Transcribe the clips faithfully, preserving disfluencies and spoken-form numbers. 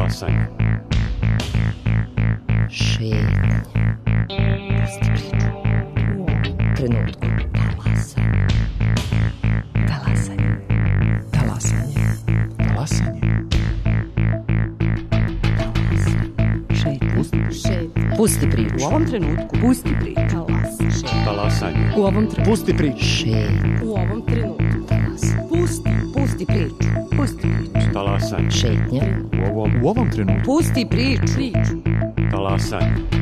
Talasanje. Šetnja. Pusti priču. U trenutku. Talasanje. Talasanje. Talasanje. Šetnja. Pusti priču. U ovom trenutku. Pusti priču. Talasanje. U ovom trenutku. Pusti priču. Šetnja. U ovom trenutku. Pusti. Pusti priču. Pusti priču. Talasanje. Šetnja. U ovom, u ovom trenutku. Pusti priču. Priču. Talasanje.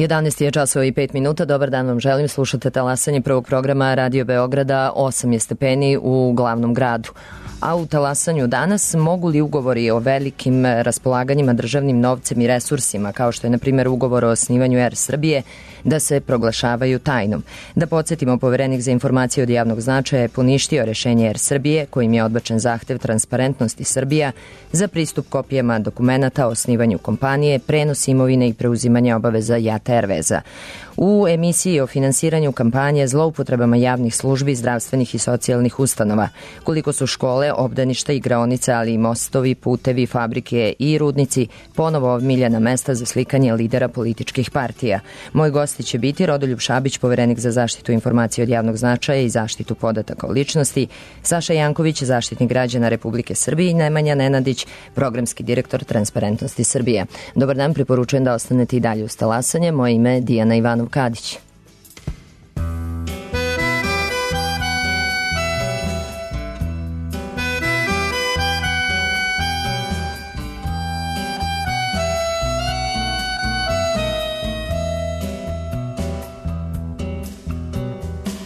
jedanaest je časova i pet minuta. Dobar dan vam želim. Slušate Talasanje prvog programa Radio Beograda. osam je stepeni u glavnom gradu. A u Talasanju danas mogu li ugovori o velikim raspolaganjima državnim novcem i resursima, kao što je na primjer ugovor o osnivanju Er Srbije, da se proglašavaju tajnom? Da podsjetimo, Poverenik za informacije od javnog značaja je poništio rešenje Er Srbije, kojim je odbačen zahtev Transparentnosti Srbija za pristup kopijama dokumenata o osnivanju kompanije, prenos imovine i preuzimanje obaveza Jata Erveza. U emisiji o finansiranju kampanje, zloupotrebama javnih službi, zdravstvenih i socijalnih ustanova, koliko su škole, obdaništa, igraonice, ali i mostovi, putevi, fabrike i rudnici ponovo omiljena mesta za slikanje lidera političkih partija. Moj gosti će biti Rodoljub Šabić, Poverenik za zaštitu informacije od javnog značaja i zaštitu podataka o ličnosti, Saša Janković, Zaštitnik građana Republike Srbije i Nemanja Nenadić, programski direktor Transparentnosti Srbije. Dobar dan, preporučujem da ostanete i dalje uz Talasanje. Moje ime je Dijana Ivanov Kadić.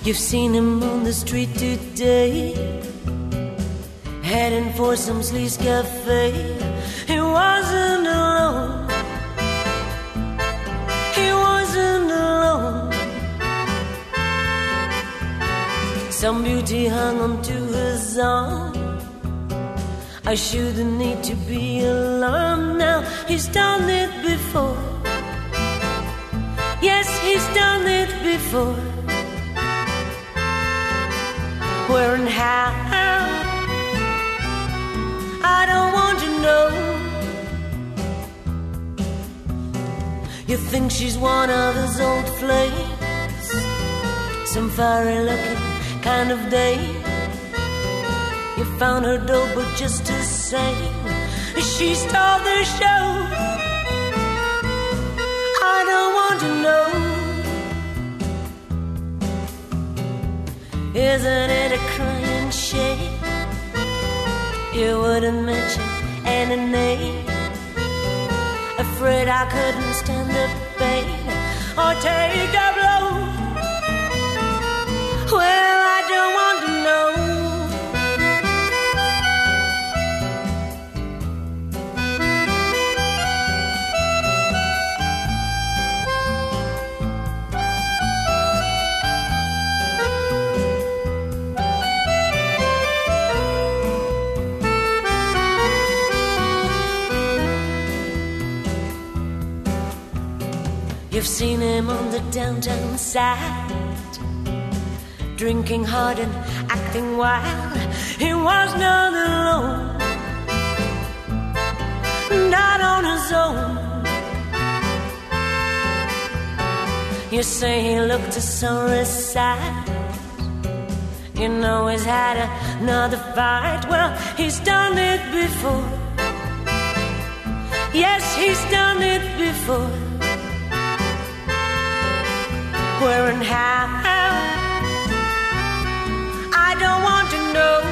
You've seen him on the street today, heading for some sleaze cafe. He wasn't alone. He wasn't alone. Some beauty hung onto his arm. I shouldn't need to be alarmed now. He's done it before. Yes, he's done it before. Where and how, I don't want to know. You think she's one of his old flames, some fiery looking kind of dame. You found her dope, but just the same, she stole the show. I don't want to know. Isn't it a crying shame you wouldn't mention any name? Afraid I couldn't stand the pain or take a blow. Well, I don't want to know. You've seen him on the downtown side, drinking hard and acting wild. He was not alone, not on his own. You say he looked a sorry sight. You know he's had another fight. Well, he's done it before. Yes, he's done it before. Where and how, I don't want to know.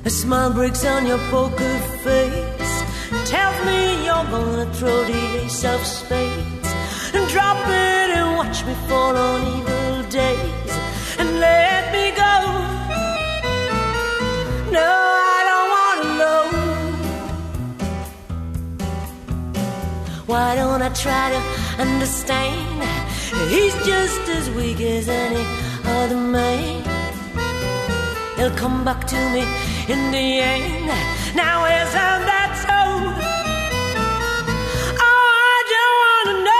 A smile breaks on your poker face, tells me you're gonna throw the ace of spades and drop it and watch me fall on evil days and let me go. No, I don't want to know. Why don't I try to understand? He's just as weak as any other man. He'll come back to me in the end. Now isn't that so? Oh, I don't wanna know.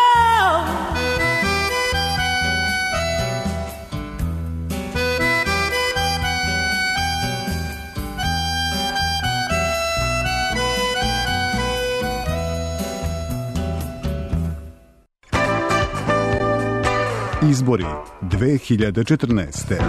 Izbori dve hiljade četrnaeste.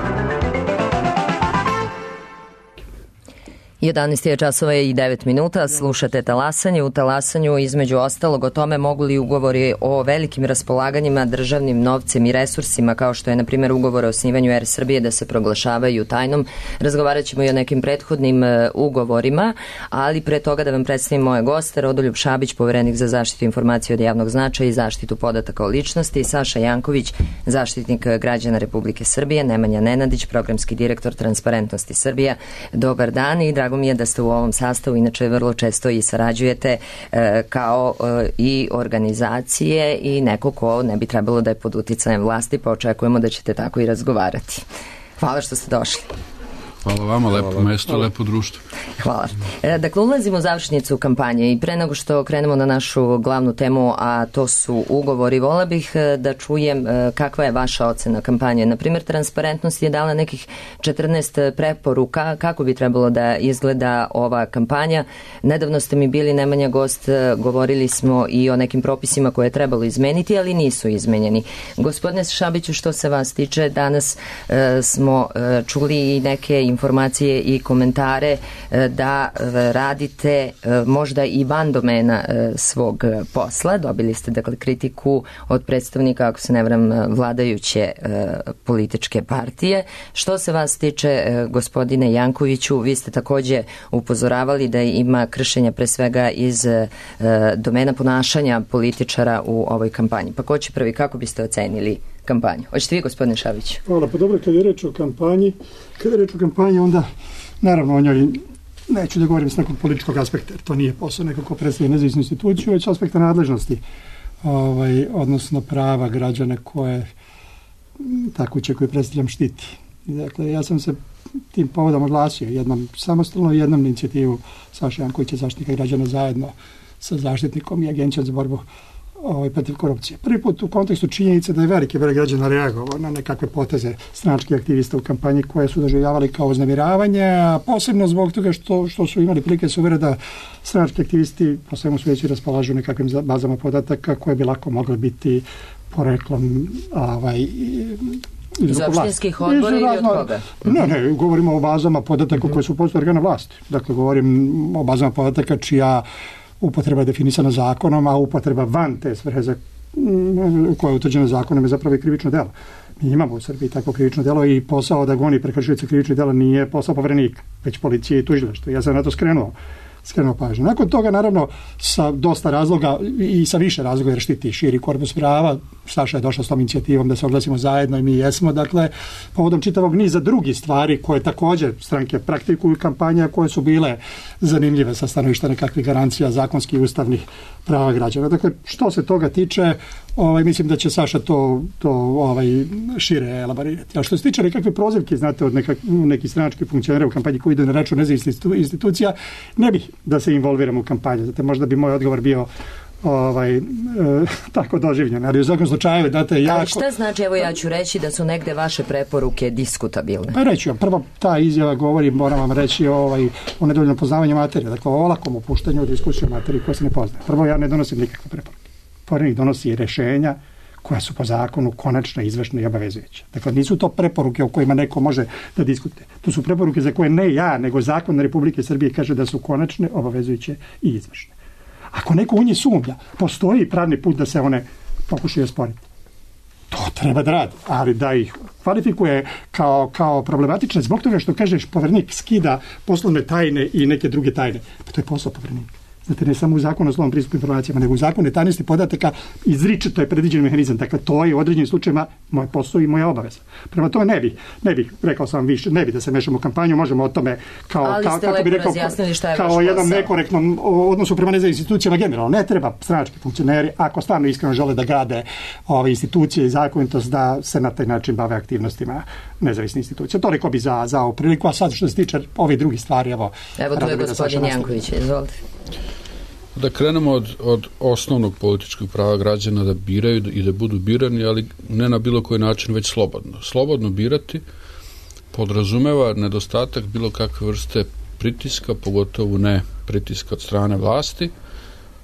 jedanaest je časova i devet minuta, slušate Talasanje. U Talasanju između ostalog o tome mogu li ugovori o velikim raspolaganjima državnim novcem i resursima, kao što je na primjer ugovor o osnivanju Er Srbije, da se proglašavaju tajnom. Razgovarat ćemo i o nekim prethodnim ugovorima, ali pre toga da vam predstavim moje goste: Rodoljub Šabić, poverenik za zaštitu informacija od javnog značaja i zaštitu podataka o ličnosti, Saša Janković, zaštitnik građana Republike Srbije, Nemanja Nenadić, programski direktor Transparentnosti Srbija. Dobar dan i drago mi je da ste u ovom sastavu, inače vrlo često i sarađujete e, kao e, i organizacije i neko ko ne bi trebalo da je pod uticajem vlasti, pa očekujemo da ćete tako i razgovarati. Hvala što ste došli. Hvala vama, lepo Hvala. mesto, Hvala. lepo društvo. Hvala. E, dakle, ulazimo u završnicu kampanje i pre nego što krenemo na našu glavnu temu, a to su ugovori, vola bih da čujem kakva je vaša ocena kampanje. Naprimjer, Transparentnost je dala nekih četrnaest preporuka kako bi trebalo da izgleda ova kampanja. Nedavno ste mi bili, Nemanja, gost, govorili smo i o nekim propisima koje je trebalo izmeniti, ali nisu izmenjeni. Gospodine Šabiću, što se vas tiče, danas e, smo e, čuli i neke informacije i komentare da radite možda i van domena svog posla. Dobili ste dakle kritiku od predstavnika, ako se ne varam, vladajuće političke partije. Što se vas tiče, gospodine Jankoviću, vi ste takođe upozoravali da ima kršenja pre svega iz domena ponašanja političara u ovoj kampanji. Pa ko će prvi, kako biste ocenili kampanju? Hoćete vi, gospodine Šabić? Hvala, pa dobro, kada je reč o kampanji, kada je reč o kampanji, onda naravno o njoj neću da govorim s nekog političkog aspekta, jer to nije posao nekog ko predstavlja nezavisnu instituciju, već aspekta nadležnosti, ovaj, odnosno prava građana koje tako će koje predstavljam štiti. Dakle, ja sam se tim povodom oglasio jednom samostalno, jednom inicijativu Saša Jankovića, zaštitnika građana, zajedno sa zaštitnikom i Agencijom za borbu ovaj, protiv korupcije. Prvi put u kontekstu činjenice da je veliki broj građana reagovao na nekakve poteze stranačkih aktivista u kampanji koje su doživljavali kao uznemiravanje, a posebno zbog toga što, što su imali prilike se uvere da stranački aktivisti po svemu sveći raspolažu nekakvim bazama podataka koje bi lako mogle biti poreklom ovaj, iz opštinskih odbora ili od koga? Ne, ne, govorimo o bazama podataka koje su postoje organa vlasti. Dakle, govorim o bazama podataka čija upotreba je definisana zakonom, a upotreba van te svrhe za, koja je utvrđena zakonom je zapravo i krivično delo. Mi imamo u Srbiji takvo krivično delo i posao da goni prekršioce krivičnih dela nije posao poverenika, već policije i tužilaštva. Ja sam na to skrenuo, skrenuo pažnju. Nakon toga, naravno, sa dosta razloga i sa više razloga jer štiti širi korpus prava, Saša je došao s tom inicijativom da se oglasimo zajedno i mi jesmo, dakle, povodom čitavog niza drugih stvari koje također stranke praktikuju kampanja koje su bile zanimljive sa stanovišta nekakvih garancija zakonskih i ustavnih prava građana. Dakle, što se toga tiče, ovaj, mislim da će Saša to, to ovaj, šire elaborirati. A što se tiče nekakve prozivke, znate, od nekak, nekih stranačkih funkcionera u kampanji koji idu na račun nezavisnih institucija, ne bih da se involviram u kampanju. Znate, možda bi moj odgovor bio ovaj, e, tako doživljen, ali u svakom slučaju date jako... Ali šta znači, evo ja ću reći da su negde vaše preporuke diskutabilne? Pa reći vam, prvo ta izjava govori, moram vam reći ovaj, o nedovoljnom poznavanju materije, dakle o olakom opuštanju u diskusiju materije koja se ne poznaje. Prvo, ja ne donosim nikakve preporuke. Poverenik donosi rešenja koja su po zakonu konačno, izvršno i obavezujuće. Dakle, nisu to preporuke o kojima neko može da diskutuje. To su preporuke za koje ne ja, nego zakon Republike Srbije kaže da su konačne, obavezujuće i izvršne. Ako neko u njih sumnja, postoji pravni put da se one pokušaju osporiti. To treba da radi, ali da ih kvalifikuje kao, kao problematične zbog toga što kažeš poverenik skida poslovne tajne i neke druge tajne. Pa to je posao poverenika. Znate, ne samo u zakonu o slobodnom pristupu informacijama, nego u zakonu o tajnosti podataka izričito je predviđen mehanizam. Dakle, to je u određenim slučajevima moj posao i moja obaveza. Prema tome ne bih, ne bih, rekao sam više, ne bih da se mešamo u kampanju, možemo o tome kao, ali kao, kako bi rekao, kao jednom nekorektnom odnosu prema nezavisnim institucijama generalno. Ne treba stranački funkcioneri, ako stvarno iskreno žele da grade ove institucije i zakonitost, da se na taj način bave aktivnostima nezavisnih institucija. Toliko bi za, za ovu priliku, a sad što se tiče ovih drugih stvari, evo... Evo tu je gospodin Janković, izvolite. Da krenemo od, od osnovnog političkog prava građana da biraju i da budu birani, ali ne na bilo koji način, već slobodno. Slobodno birati podrazumeva nedostatak bilo kakve vrste pritiska, pogotovo ne pritiska od strane vlasti.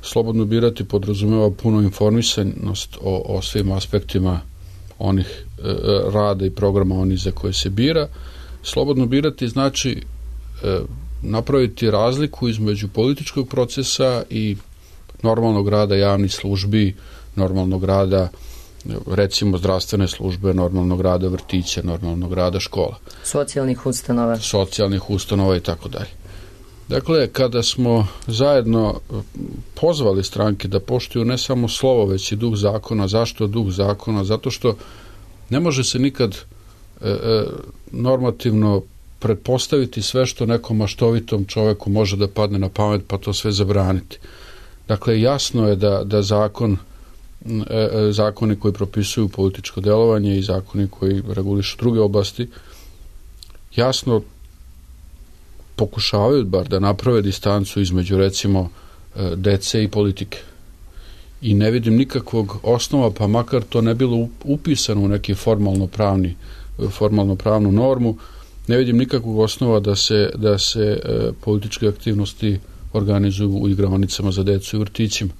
Slobodno birati podrazumeva puno informisanost o, o svim aspektima onih e, rada i programa onih za koje se bira. Slobodno birati znači e, napraviti razliku između političkog procesa i normalnog rada javnih službi, normalnog rada recimo zdravstvene službe, normalnog rada vrtića, normalnog rada škola. Socijalnih ustanova. Socijalnih ustanova i tako dalje. Dakle, kada smo zajedno pozvali stranke da poštuju ne samo slovo, već i duh zakona. Zašto duh zakona? Zato što ne može se nikad e, e, normativno pretpostaviti sve što nekom maštovitom čoveku može da padne na pamet, pa to sve zabraniti. Dakle, jasno je da, da zakon, e, e, zakoni koji propisuju političko delovanje i zakoni koji regulišu druge oblasti, jasno pokušavaju bar da naprave distancu između recimo dece i politike. I ne vidim nikakvog osnova, pa makar to ne bilo upisano u neki formalno pravni, formalno pravnu normu, ne vidim nikakvog osnova da se, da se e, političke aktivnosti organizuju u igraonicama za decu i vrtićima.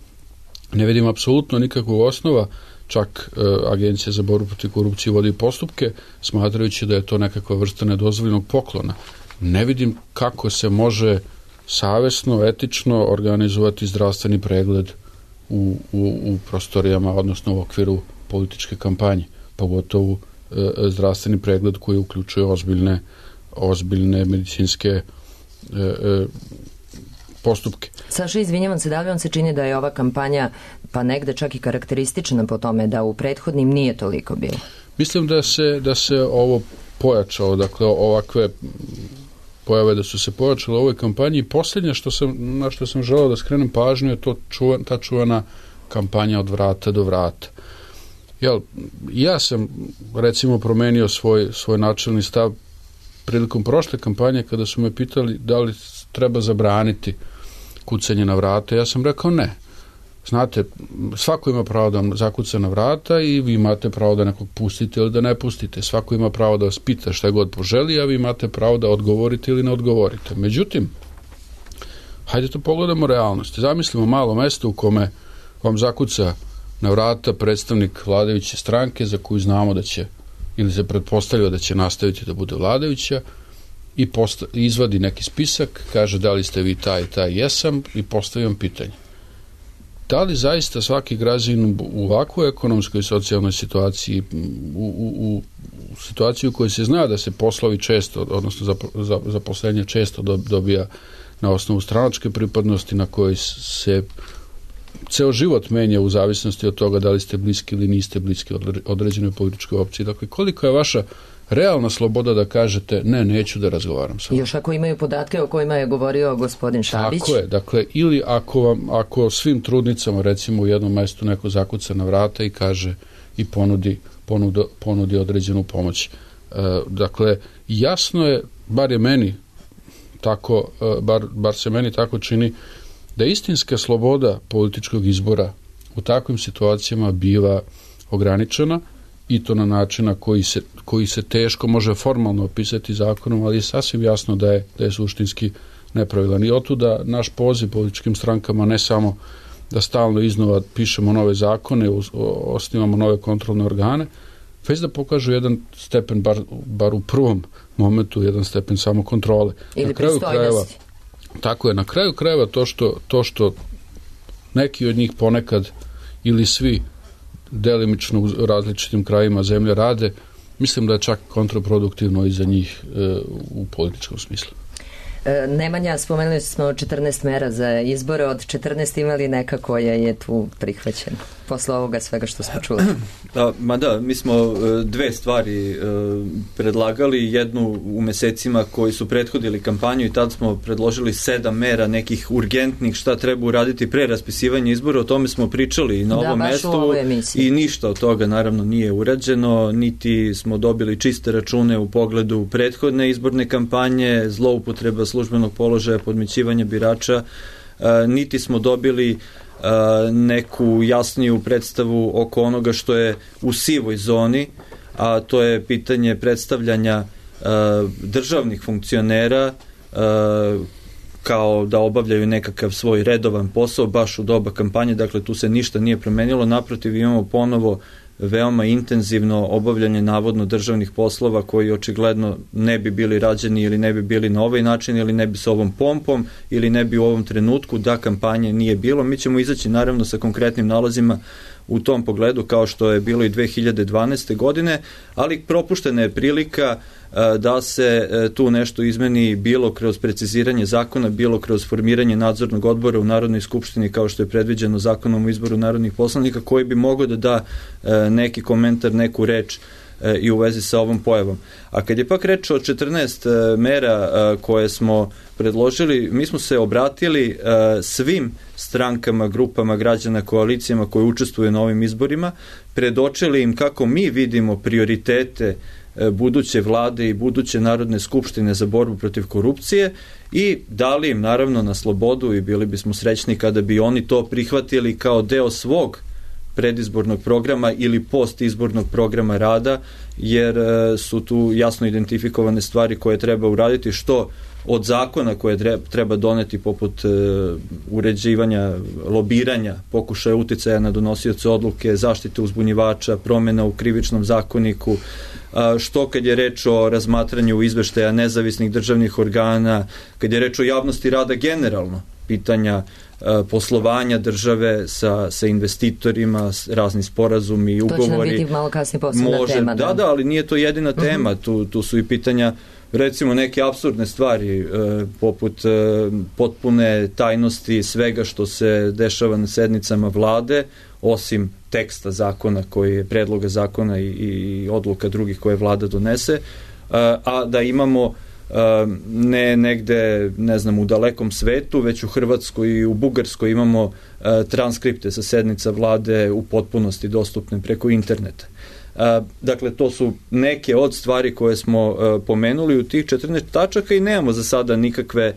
Ne vidim apsolutno nikakvog osnova, čak e, Agencija za borbu protiv korupcije vodi postupke, smatrajući da je to nekakva vrsta nedozvoljenog poklona. Ne vidim kako se može savesno, etično organizovati zdravstveni pregled u, u, u prostorijama, odnosno u okviru političke kampanje, pogotovo e, zdravstveni pregled koji uključuje ozbiljne, ozbiljne medicinske e, e, postupke. Saša, izvinjavam se, da li vam se čini da je ova kampanja pa negde čak i karakteristična po tome da u prethodnim nije toliko bilo? Mislim da se, da se ovo pojačalo, dakle ovakve pojave da su se pojačale u ovoj kampanji. I posljednje što sam, na što sam želeo da skrenem pažnju je to čuva, ta čuvana kampanja od vrata do vrata. Jel, ja sam recimo promenio svoj, svoj načelni stav prilikom prošle kampanje kada su me pitali da li treba zabraniti kucanje na vrata. Ja sam rekao ne. Znate, svako ima pravo da vam zakuca na vrata i vi imate pravo da nekog pustite ili da ne pustite. Svako ima pravo da vas pita šta god poželi, a vi imate pravo da odgovorite ili ne odgovorite. Međutim, hajde to pogledamo realnost. Zamislimo malo mesto u kome vam zakuca na vrata predstavnik vladajuće stranke za koju znamo da će, ili se pretpostavlja da će nastaviti da bude vladajuća, i posta, izvadi neki spisak, kaže da li ste vi taj i taj, jesam, i postavim pitanje. Da li zaista svaki građanin u ovakvoj ekonomskoj i socijalnoj situaciji, u, u, u situaciji u kojoj se zna da se poslovi često, odnosno zaposlenje često dobija na osnovu stranačke pripadnosti, na kojoj se ceo život menja u zavisnosti od toga da li ste bliski ili niste bliski određenoj političkoj opciji. Dakle, koliko je vaša realna sloboda da kažete ne, neću da razgovaram sa vama. Još ako imaju podatke o kojima je govorio gospodin Šabić. Tako je, dakle, ili ako, vam, ako svim trudnicama recimo u jednom mestu neko zakuca na vrata i kaže i ponudi, ponudi, ponudi određenu pomoć. E, dakle, jasno je, bar je meni tako, bar, bar se meni tako čini, da istinska sloboda političkog izbora u takvim situacijama biva ograničena, i to na način na koji se, koji se teško može formalno opisati zakonom, ali je sasvim jasno da je, da je suštinski nepravilan. I otuda naš poziv političkim strankama ne samo da stalno iznova pišemo nove zakone, osnivamo nove kontrolne organe, već da pokažu jedan stepen, bar, bar u prvom momentu, jedan stepen samokontrole. Ili na kraju krajeva, tako je, na kraju krajeva to što, to što neki od njih ponekad ili svi delimično u različitim krajima zemlje rade, mislim da je čak kontraproduktivno i za njih e, u političkom smislu. Nemanja, spomenuli smo četrnaest mera za izbore, od četrnaest imali neka koja je tu prihvaćena posle ovoga svega što smo čuli? Da, ma da, mi smo dve stvari predlagali, jednu u mesecima koji su prethodili kampanju i tad smo predložili sedam mera nekih urgentnih šta treba uraditi pre raspisivanja izbora, o tome smo pričali na ovom da, mestu i ništa od toga naravno nije urađeno, niti smo dobili čiste račune u pogledu prethodne izborne kampanje, zloupotreba službenog položaja, podmićivanja birača, niti smo dobili neku jasniju predstavu oko onoga što je u sivoj zoni, a to je pitanje predstavljanja državnih funkcionera kao da obavljaju nekakav svoj redovan posao baš u doba kampanje, dakle tu se ništa nije promenilo, naprotiv imamo ponovo veoma intenzivno obavljanje navodno državnih poslova koji očigledno ne bi bili rađeni ili ne bi bili na ovaj način ili ne bi sa ovom pompom ili ne bi u ovom trenutku da kampanje nije bilo. Mi ćemo izaći naravno sa konkretnim nalazima u tom pogledu kao što je bilo i dve hiljade dvanaeste. godine, ali propuštena je prilika da se tu nešto izmeni bilo kroz preciziranje zakona, bilo kroz formiranje nadzornog odbora u Narodnoj skupštini kao što je predviđeno zakonom o izboru narodnih poslanika koji bi mogao da da neki komentar, neku reč i u vezi sa ovom pojavom. A kad je pak reč o četrnaest mera koje smo predložili, mi smo se obratili svim strankama, grupama građana, koalicijama koje učestvuju na ovim izborima, predočili im kako mi vidimo prioritete buduće vlade i buduće Narodne skupštine za borbu protiv korupcije i dali im naravno na slobodu i bili bismo srećni kada bi oni to prihvatili kao deo svog predizbornog programa ili postizbornog programa rada, jer su tu jasno identifikovane stvari koje treba uraditi, što od zakona koje treba doneti poput uređivanja, lobiranja, pokušaja uticaja na donosioce odluke, zaštite uzbunjivača, promjena u krivičnom zakoniku, što kad je reč o razmatranju izveštaja nezavisnih državnih organa, kad je reč o javnosti rada generalno, pitanja poslovanja države sa, sa investitorima, razni sporazumi i ugovori. To će nam biti malo kasnije posebna Može, tema. Da, da, ali nije to jedina tema. Uh-huh. tu, tu su i pitanja, recimo neke apsurdne stvari, e, poput e, potpune tajnosti svega što se dešava na sednicama vlade, osim teksta zakona koji je predloga zakona i, i odluka drugih koje vlada donese, e, a da imamo ne negde, ne znam, u dalekom svetu, već u Hrvatskoj i u Bugarskoj imamo transkripte sa sednica vlade u potpunosti dostupne preko interneta. Dakle, to su neke od stvari koje smo pomenuli u tih četrnaest tačaka i nemamo za sada nikakve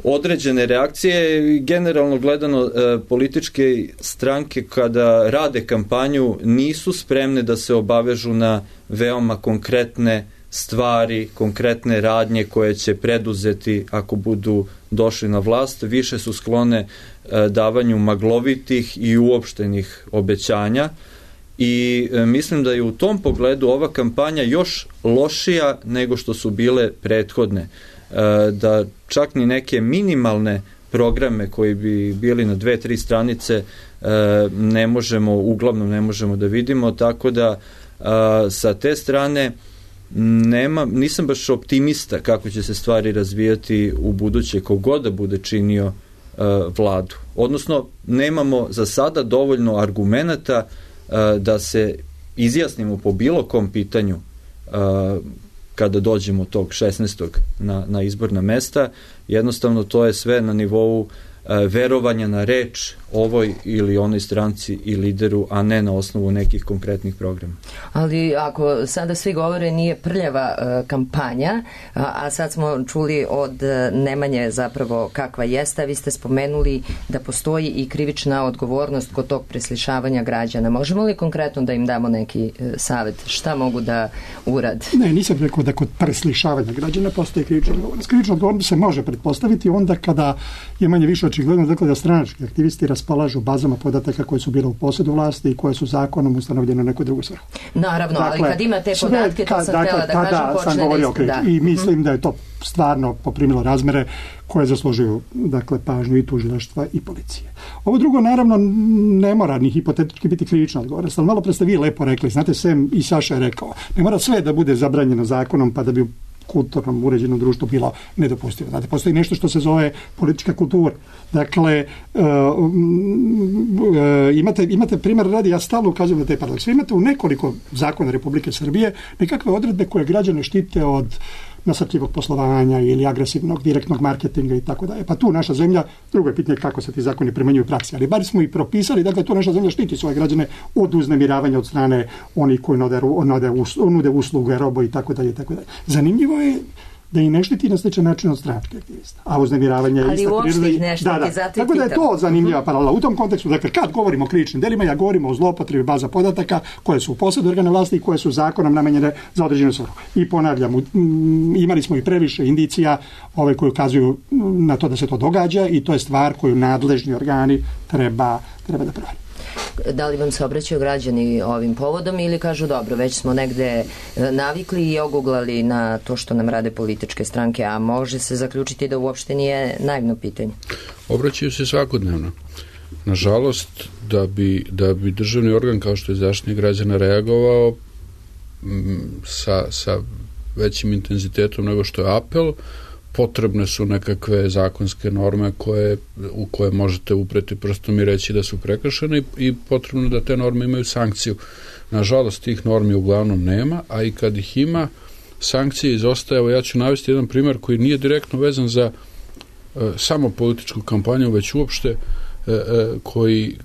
određene reakcije. Generalno gledano, političke stranke kada rade kampanju nisu spremne da se obavežu na veoma konkretne stvari, konkretne radnje koje će preduzeti ako budu došli na vlast, više su sklone e, davanju maglovitih i uopštenih obećanja i e, mislim da je u tom pogledu ova kampanja još lošija nego što su bile prethodne. E, da čak ni neke minimalne programe koji bi bili na dve, tri stranice e, ne možemo, uglavnom ne možemo da vidimo, tako da e, sa te strane Nema, nisam baš optimista kako će se stvari razvijati u buduće kogod da bude činio uh, vladu. Odnosno, nemamo za sada dovoljno argumenata uh, da se izjasnimo po bilo kom pitanju uh, kada dođemo tog šesnaestog na, na izborna mesta. Jednostavno, to je sve na nivou verovanja na reč ovoj ili onoj stranci i lideru, a ne na osnovu nekih konkretnih programa. Ali ako sada svi govore nije prljava uh, kampanja, a, a sad smo čuli od uh, Nemanje zapravo kakva jeste, vi ste spomenuli da postoji i krivična odgovornost kod tog preslišavanja građana. Možemo li konkretno da im damo neki uh, savjet? Šta mogu da urade? Ne, nisam rekao da kod preslišavanja građana postoji krivična odgovornost. Krivična odgovornost se može pretpostaviti onda kada je manje više očigledno dakle, da stranački aktivisti raspolažu bazama podataka koje su bile u posjedu vlasti i koje su zakonom ustanovljene u neku drugu svrhu. Naravno, dakle, ali kad ima te podatke, to sam dakle, htjela da kažem, da, počne govorio, da... da. I mislim da je to stvarno poprimilo razmere koje zaslužuju dakle, pažnju i tužilaštva i policije. Ovo drugo, naravno, ne mora ni hipotetički biti krivična odgovornost, ali malo pre ste vi lepo rekli, znate, Sem i Saša je rekao, ne mora sve da bude zabranjeno zakonom pa da bi kulturnom uređenom društvu bilo nedopustivo. Znate, postoji nešto što se zove politička kultura. Dakle, uh, uh, imate, imate primjer radi, ja stalno ukazujem na te paradoks. Imate u nekoliko zakona Republike Srbije nekakve odredbe koje građane štite od nasrtljivog poslovanja ili agresivnog direktnog marketinga i tako dalje. Pa tu naša zemlja, drugo je pitanje kako se ti zakoni primenjuju u praksi, ali bar smo i propisali, dakle tu naša zemlja štiti svoje građane od uznemiravanja od strane onih koji nude, nude, nude usluge, robo i tako dalje i tako dalje. Zanimljivo je da i ne štiti na sličan način od stranačkih aktivista. A uznemiravanje je ista priroda. Ali uopšte ih ne štiti, da, da. zato Tako da je to zanimljiva paralela. U tom kontekstu, dakle, kad govorimo o krivičnim delima, ja govorimo o zlopotrebi baza podataka koje su u posjedu organa vlasti i koje su zakonom namenjene za određenu svrhu. I ponavljam, imali smo i previše indicija ove koje ukazuju na to da se to događa i to je stvar koju nadležni organi treba, treba da proveri. Da li vam se obraćaju građani ovim povodom ili kažu dobro, već smo negde navikli i oguglali na to što nam rade političke stranke, a može se zaključiti da uopšte nije naivno pitanje? Obraćaju se svakodnevno. Nažalost, da bi, da bi državni organ kao što je Zaštitnik građana reagovao m, sa, sa većim intenzitetom nego što je apel, potrebne su nekakve zakonske norme koje, u koje možete upreti prstom i reći da su prekršene i, i potrebno da te norme imaju sankciju. Nažalost, tih normi uglavnom nema, a i kad ih ima, sankcije izostaje. Evo, ja ću navesti jedan primjer koji nije direktno vezan za e, samo političku kampanju, već uopšte e, e, koji,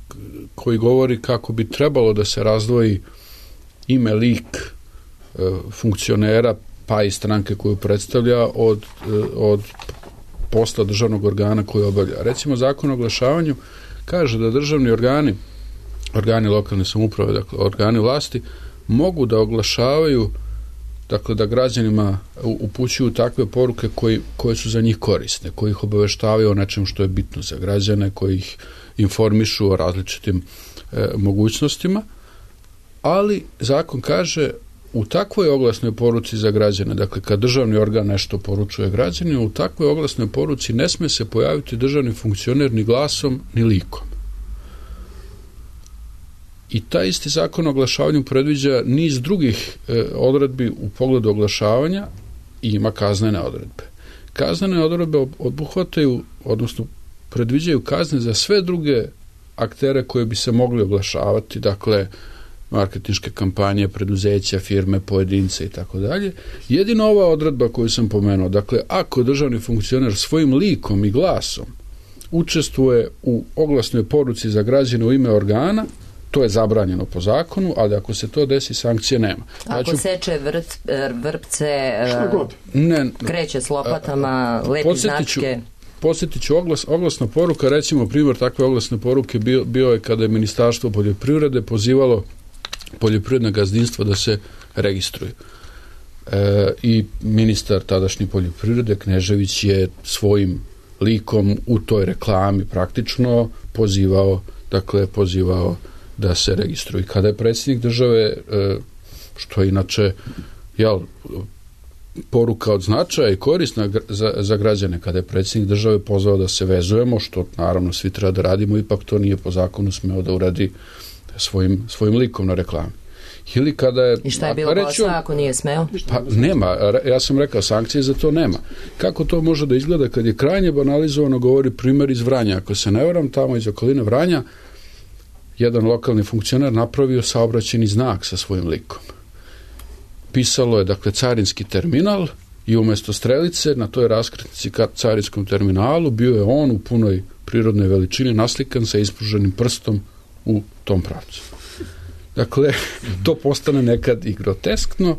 koji govori kako bi trebalo da se razdvoji ime, lik e, funkcionera pa i stranke koju predstavlja od, od posla državnog organa koji obavlja. Recimo, Zakon o oglašavanju kaže da državni organi, organi lokalne samouprave, dakle organi vlasti, mogu da oglašavaju, dakle da građanima upućuju takve poruke koji, koje su za njih korisne, koji ih obaveštavaju o nečem što je bitno za građane, koji ih informišu o različitim e, mogućnostima, ali zakon kaže u takvoj oglasnoj poruci za građane, dakle kad državni organ nešto poručuje građanima, u takvoj oglasnoj poruci ne sme se pojaviti državni funkcioner ni glasom ni likom. I taj isti zakon o oglašavanju predviđa niz drugih e, odredbi u pogledu oglašavanja i ima kaznene odredbe. Kaznene odredbe obuhvataju, odnosno predviđaju kazne za sve druge aktere koje bi se mogli oglašavati, dakle marketinške kampanje, preduzeća, firme, pojedince i tako dalje. Jedino ova odredba koju sam pomenuo, dakle, ako državni funkcioner svojim likom i glasom učestvuje u oglasnoj poruci za građane u ime organa, to je zabranjeno po zakonu, ali ako se to desi, sankcije nema. Ako ja ću... seče vrt, vrpce, ne, kreće s lopatama, lepi značke... Posjetit ću oglas, oglasna poruka, recimo primjer takve oglasne poruke bio, bio je kada je Ministarstvo poljoprivrede pozivalo poljoprivredna gazdinstva da se registruju. E, I ministar tadašnji poljoprivrede Knežević je svojim likom u toj reklami praktično pozivao, dakle pozivao da se registruju. Kada je predsjednik države, e, što je inače jel, poruka od značaja i korisna za, za građane, kada je predsjednik države pozvao da se vezujemo, što naravno svi treba da radimo, ipak to nije po zakonu smeo da uradi svojim, svojim likom na reklami. Ili kada je... I šta je bilo posla ako nije smeo? Pa nema, ja sam rekao, sankcije za to nema. Kako to može da izgleda kad je krajnje banalizovano, govori primjer iz Vranja. Ako se ne varam, tamo iz okoline Vranja, jedan lokalni funkcioner napravio saobraćajni znak sa svojim likom. Pisalo je, dakle, carinski terminal i umjesto strelice na toj raskrsnici ka carinskom terminalu bio je on u punoj prirodnoj veličini naslikan sa ispruženim prstom u tom pravcu. Dakle, to postane nekad i groteskno,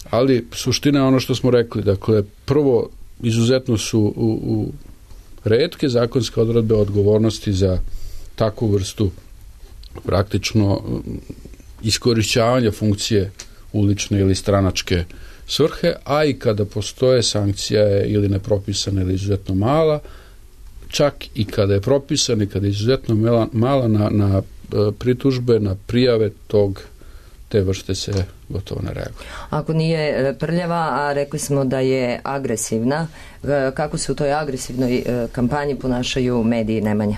ali suština je ono što smo rekli. Dakle, prvo, izuzetno su u, u retke zakonske odredbe odgovornosti za takvu vrstu praktično iskorišćavanja funkcije ulične ili stranačke svrhe, a i kada postoje sankcija je ili nepropisana ili izuzetno mala, čak i kada je propisana i kada je izuzetno mala, mala na, na pritužbe, na prijave tog, te vrste se gotovo ne reaguje. Ako nije prljava, a rekli smo da je agresivna, kako se u toj agresivnoj kampanji ponašaju mediji, Nemanja?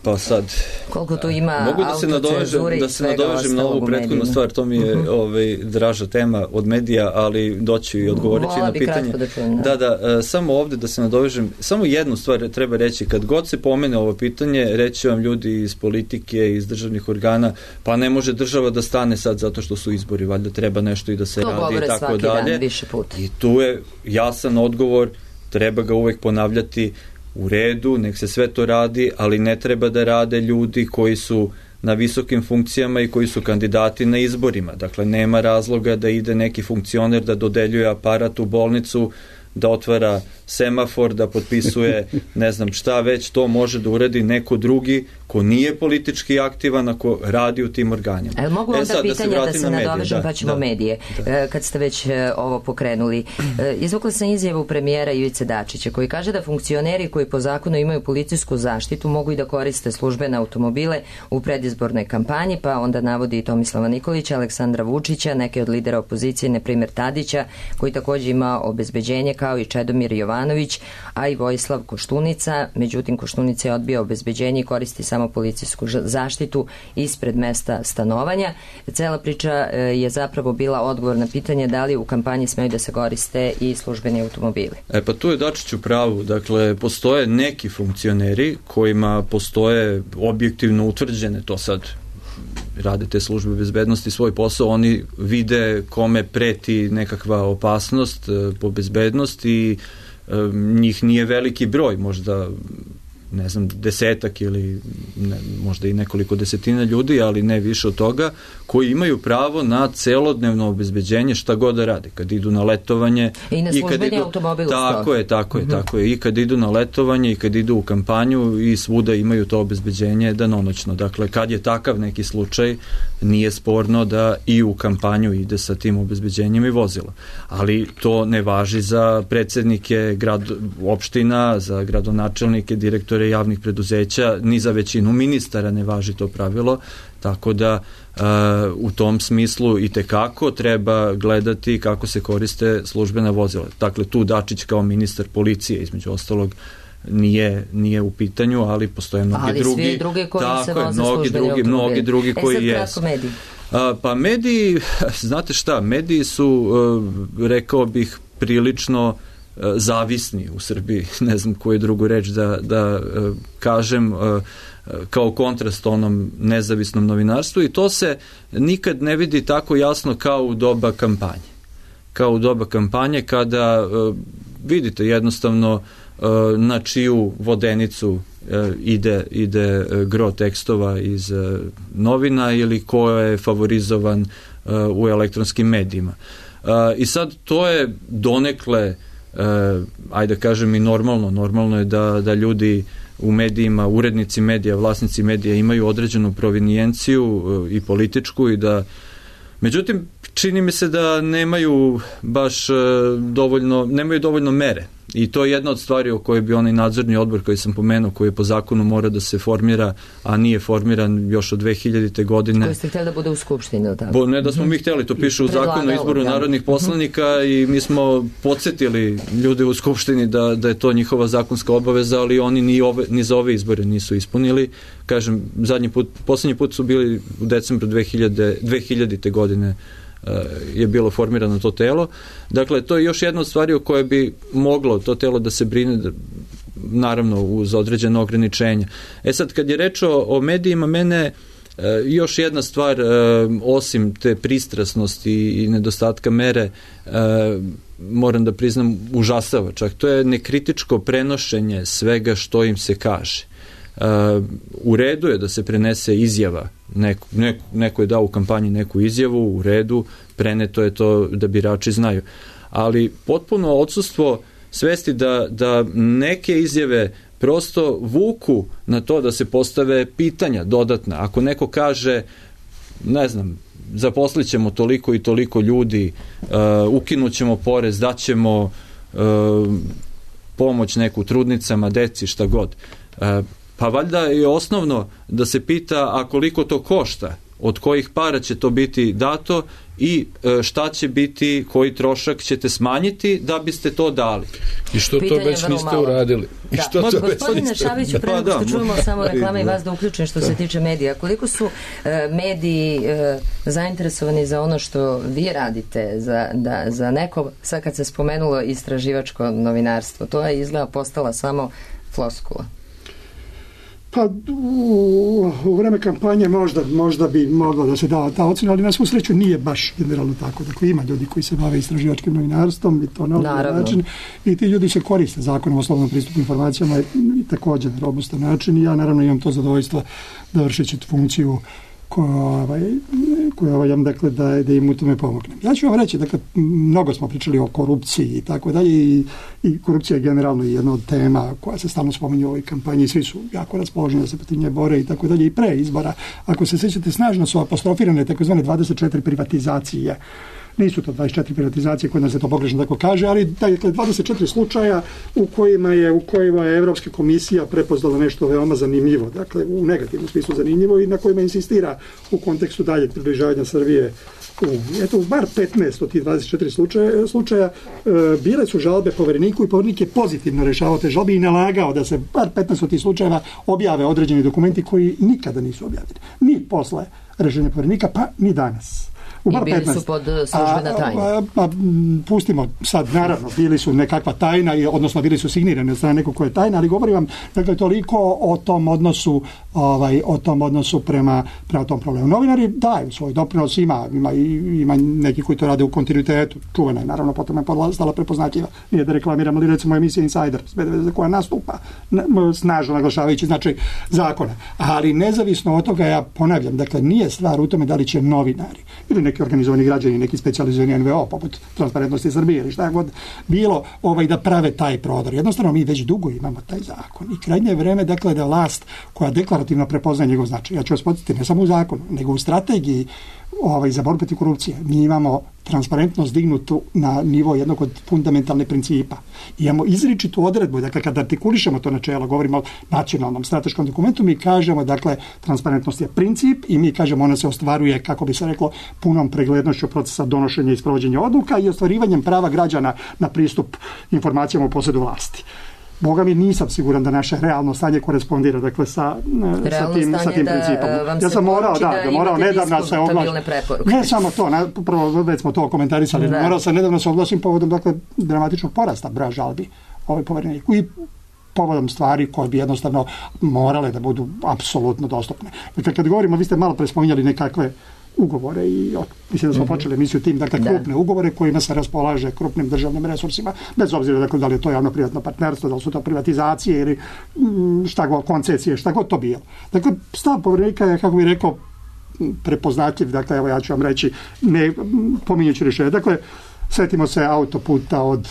Pa Pa sad... Koliko tu ima mogu da se nadovežem, da se nadovežem na ovu prethodnu stvar, to mi je uh-huh. ovaj, draža tema od medija, ali doću i odgovoriti Vola na pitanje. Da, čujem, da, da, da, samo ovde da se nadovežem, samo jednu stvar treba reći, kad god se pomene ovo pitanje, reći vam ljudi iz politike, iz državnih organa, pa ne može država da stane sad zato što su izbori, valjda treba nešto i da se to radi i tako dalje. Dan, više puta. I tu je jasan odgovor, treba ga uvek ponavljati, u redu, nek se sve to radi, ali ne treba da rade ljudi koji su na visokim funkcijama i koji su kandidati na izborima. Dakle, nema razloga da ide neki funkcioner da dodeljuje aparat u bolnicu, da otvara semafor, da potpisuje ne znam šta već, to može da uradi neko drugi ko nije politički aktivan, ako radi u tim organima. E, mogu onda e, sad, pitanja da se, da se nadovežem, da, pa ćemo da, medije. Da. E, kad ste već e, ovo pokrenuli. E, izvukla sam izjavu premijera Ivice Dačića, koji kaže da funkcioneri koji po zakonu imaju policijsku zaštitu mogu i da koriste službene automobile u predizbornoj kampanji, pa onda navodi i Tomislava Nikolića, Aleksandra Vučića, neke od lidera opozicije, na primjer Tadića, koji takođe ima obezbeđenje, kao i Čedomir Jovanović, a i Vojislav Koštunica. Međutim, Koštunica je odbio obezbeđenje i koristi samo policijsku zaštitu ispred mesta stanovanja. Cela priča je zapravo bila odgovor na pitanje da li u kampanji smeju da se koriste i službeni automobili. E pa tu je Dačić u pravu. Dakle, postoje neki funkcioneri kojima postoje objektivno utvrđene, to sad rade te službe bezbednosti svoj posao, oni vide kome preti nekakva opasnost po bezbednost i njih nije veliki broj, možda ne znam, desetak ili ne, možda i nekoliko desetina ljudi, ali ne više od toga, koji imaju pravo na celodnevno obezbeđenje šta god da rade, kad idu na letovanje i na službeni automobil. Tako je, tako je, mm-hmm. tako je, i kad idu na letovanje i kad idu u kampanju i svuda imaju to obezbeđenje danonoćno. Dakle, kad je takav neki slučaj, nije sporno da i u kampanju ide sa tim obezbeđenjem i vozila. Ali to ne važi za predsednike grad, opština, za gradonačelnike, direktore javnih preduzeća, ni za većinu ministara ne važi to pravilo, tako da uh, u tom smislu i tekako treba gledati kako se koriste službena vozila. Dakle, tu Dačić kao ministar policije, između ostalog, nije, nije u pitanju, ali postoje mnogi ali drugi. Ali svi drugi koji tako se je, voze mnogi službeni drugi, mnogi drugi koji jesu. jesu. E sad kratko mediji. A, pa mediji, znate šta, mediji su, uh, rekao bih, prilično uh, zavisni u Srbiji, ne znam koju drugu reč da, da uh, kažem, uh, kao kontrast onom nezavisnom novinarstvu, i to se nikad ne vidi tako jasno kao u doba kampanje. Kao u doba kampanje kada uh, vidite jednostavno uh, na čiju vodenicu uh, ide, ide uh, gro tekstova iz uh, novina ili ko je favorizovan uh, u elektronskim medijima. Uh, I sad to je donekle, uh, ajde kažem i normalno, normalno je da, da ljudi u medijima, urednici medija, vlasnici medija imaju određenu provinijenciju uh, i političku, i da, međutim, čini mi se da nemaju baš uh, dovoljno, nemaju dovoljno mere. I to je jedna od stvari o kojoj bi onaj nadzorni odbor koji sam pomenuo, koji po zakonu mora da se formira, a nije formiran još od dve hiljadite godine. Koji ste htjeli da bude u Skupštini, tako? Bo, ne da smo mi htjeli, to piše u zakonu o izboru narodnih poslanika i mi smo podsjetili ljude u Skupštini da, da je to njihova zakonska obaveza, ali oni ni, ove, ni za ove izbore nisu ispunili. Kažem, zadnji put, poslednji put su bili u decembru dve hiljadite godine je bilo formirano to telo. Dakle, to je još jedna od stvari o kojoj bi moglo to telo da se brine, naravno uz određene ograničenja. E sad, kad je reč o, o medijima, mene još jedna stvar, osim te pristrasnosti i nedostatka mere, moram da priznam, užasava čak. To je nekritičko prenošenje svega što im se kaže. Uh, u redu je da se prenese izjava, neko, neko, neko je dao u kampanji neku izjavu, u redu, preneto je to da birači znaju. Ali potpuno odsustvo svesti da, da neke izjave prosto vuku na to da se postave pitanja dodatna. Ako neko kaže, ne znam, zaposlit ćemo toliko i toliko ljudi, uh, ukinut ćemo porez, daćemo uh, pomoć neku trudnicama, deci, šta god. Uh, Pa valjda je osnovno da se pita, a koliko to košta, od kojih para će to biti dato i šta će biti, koji trošak ćete smanjiti da biste to dali. I što Pitanje to već niste malo. uradili? I da. što Mo, to gospodine već Šaviću, pre nego pa, što čujemo samo reklame i vas da uključim što se tiče medija, koliko su uh, mediji uh, zainteresovani za ono što vi radite, za, da, za neko, sad kad se spomenulo istraživačko novinarstvo, to je izgleda postala samo floskula. Pa u, u vreme kampanje možda, možda bi moglo da se da ta ocena, ali na svu sreću nije baš generalno tako. Dakle, ima ljudi koji se bave istraživačkim novinarstvom i to na ovaj način. I ti ljudi se koriste zakonom o slobodnom pristupu informacijama i, i također na robustan način. I ja naravno imam to zadovoljstvo da vršeći funkciju koja ovaj, koja ovaj, dakle, da, da im u tome pomognem. Ja ću vam reći, dakle, mnogo smo pričali o korupciji i tako dalje i, i korupcija je generalno jedna od tema koja se stalno spominje u ovoj kampanji i svi su jako raspoloženi da se protiv nje bore i tako dalje i pre izbora. Ako se sjećate, snažno su apostrofirane takozvane dvadeset četiri privatizacije. Nisu to dvadeset četiri privatizacije, kod nas se to pogrešno tako kaže, ali dakle, dvadeset četiri slučaja u kojima je u kojima je Evropska komisija prepoznala nešto veoma zanimljivo, dakle u negativnom smislu zanimljivo i na kojima insistira u kontekstu daljeg približavanja Srbije. Eto, bar petnaest od tih dvadeset četiri slučaja, slučaja e, bile su žalbe povereniku i poverenik je pozitivno rešavao te žalbe i nalagao da se bar petnaest od tih slučajeva objave određeni dokumenti koji nikada nisu objavljeni. Ni posle rešenja poverenika, pa ni danas. I bili su pod službena tajna. A, a, a, pustimo sad, naravno, bili su nekakva tajna, odnosno bili su signirani od strane nekog ko je tajna, ali govorim vam, dakle, toliko o tom odnosu, ovaj, o tom odnosu prema, prema tom problemu. Novinari daju svoj doprinos, ima, ima, ima neki koji to rade u kontinuitetu, čuvena je, naravno, potom je stala prepoznatljiva. Nije da reklamiram, ali recimo emisija Insider, za koja nastupa, snažno naglašavajući značaj zakona. Ali nezavisno od toga, ja ponavljam, dakle, nije stvar u tome da li će novinari ili neki organizovani građani, neki specijalizovani en ve o, poput Transparentnosti Srbije ili šta god bilo, ovaj, da prave taj prodor. Jednostavno, mi već dugo imamo taj zakon i krajnje je vreme, dakle, da vlast koja deklarativno prepoznaje njegov značaj. Ja ću vas podsjetiti, ne samo u zakonu, nego u strategiji ovaj, za borbu protiv korupcije. Mi imamo transparentnost dignutu na nivo jednog od fundamentalne principa. I imamo izričitu odredbu, dakle, kada artikulišemo to načelo, govorimo o nacionalnom strateškom dokumentu, mi kažemo, dakle, transparentnost je princip i mi kažemo ona se ostvaruje, kako bi se reklo, punom preglednošću procesa donošenja i sprovođenja odluka i ostvarivanjem prava građana na pristup informacijama u posjedu vlasti. Boga mi nisam siguran da naše realno stanje korespondira, dakle, sa, sa tim, sa tim principom. Ja sam morao, da, da, da morao nedavno se oglasim. Ne samo to, na, prvo već smo to komentarisali, da. Morao sam nedavno se oglasim povodom, dakle, dramatičnog porasta broja žalbi ovaj povereniku i povodom stvari koje bi jednostavno morale da budu apsolutno dostupne. Dakle, kad govorimo, vi ste malo prespominjali nekakve ugovore i mislim da smo mm-hmm. počeli emisiju tim, dakle, krupne da. ugovore kojima se raspolaže krupnim državnim resursima, bez obzira, dakle, da li je to javno-privatno partnerstvo, da li su to privatizacije ili šta god, koncesije, šta god to bilo. Dakle, stav poverenika je, kako bih rekao, prepoznatljiv, dakle, evo ja ću vam reći, ne pominjući rješenje. Dakle, setimo se autoputa od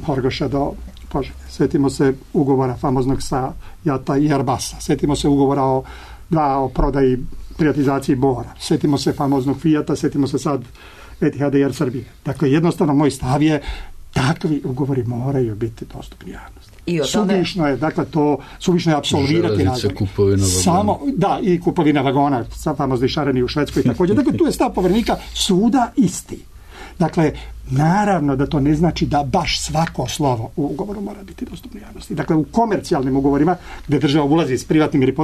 Horgoša do Požege, setimo se ugovora famoznog sa Jata i Airbusa, setimo se ugovora o, da, o prodaji privatizaciji Bora. Setimo se famoznog Fijata, setimo se sad Etihada i Air Srbije. Dakle, jednostavno moj stav je takvi ugovori moraju biti dostupni javnosti. I o tome... Suvišno je, dakle, to suvišno je apsolvirati razvoj. Kupovina vagona. Samo, da, i kupovina vagona, sa famozni šareni u Švedskoj također. Dakle, tu je stav poverenika svuda isti. Dakle, naravno da to ne znači da baš svako slovo u ugovoru mora biti dostupno javnosti. Dakle, u komercijalnim ugovorima gdje država ulazi s privatnim ili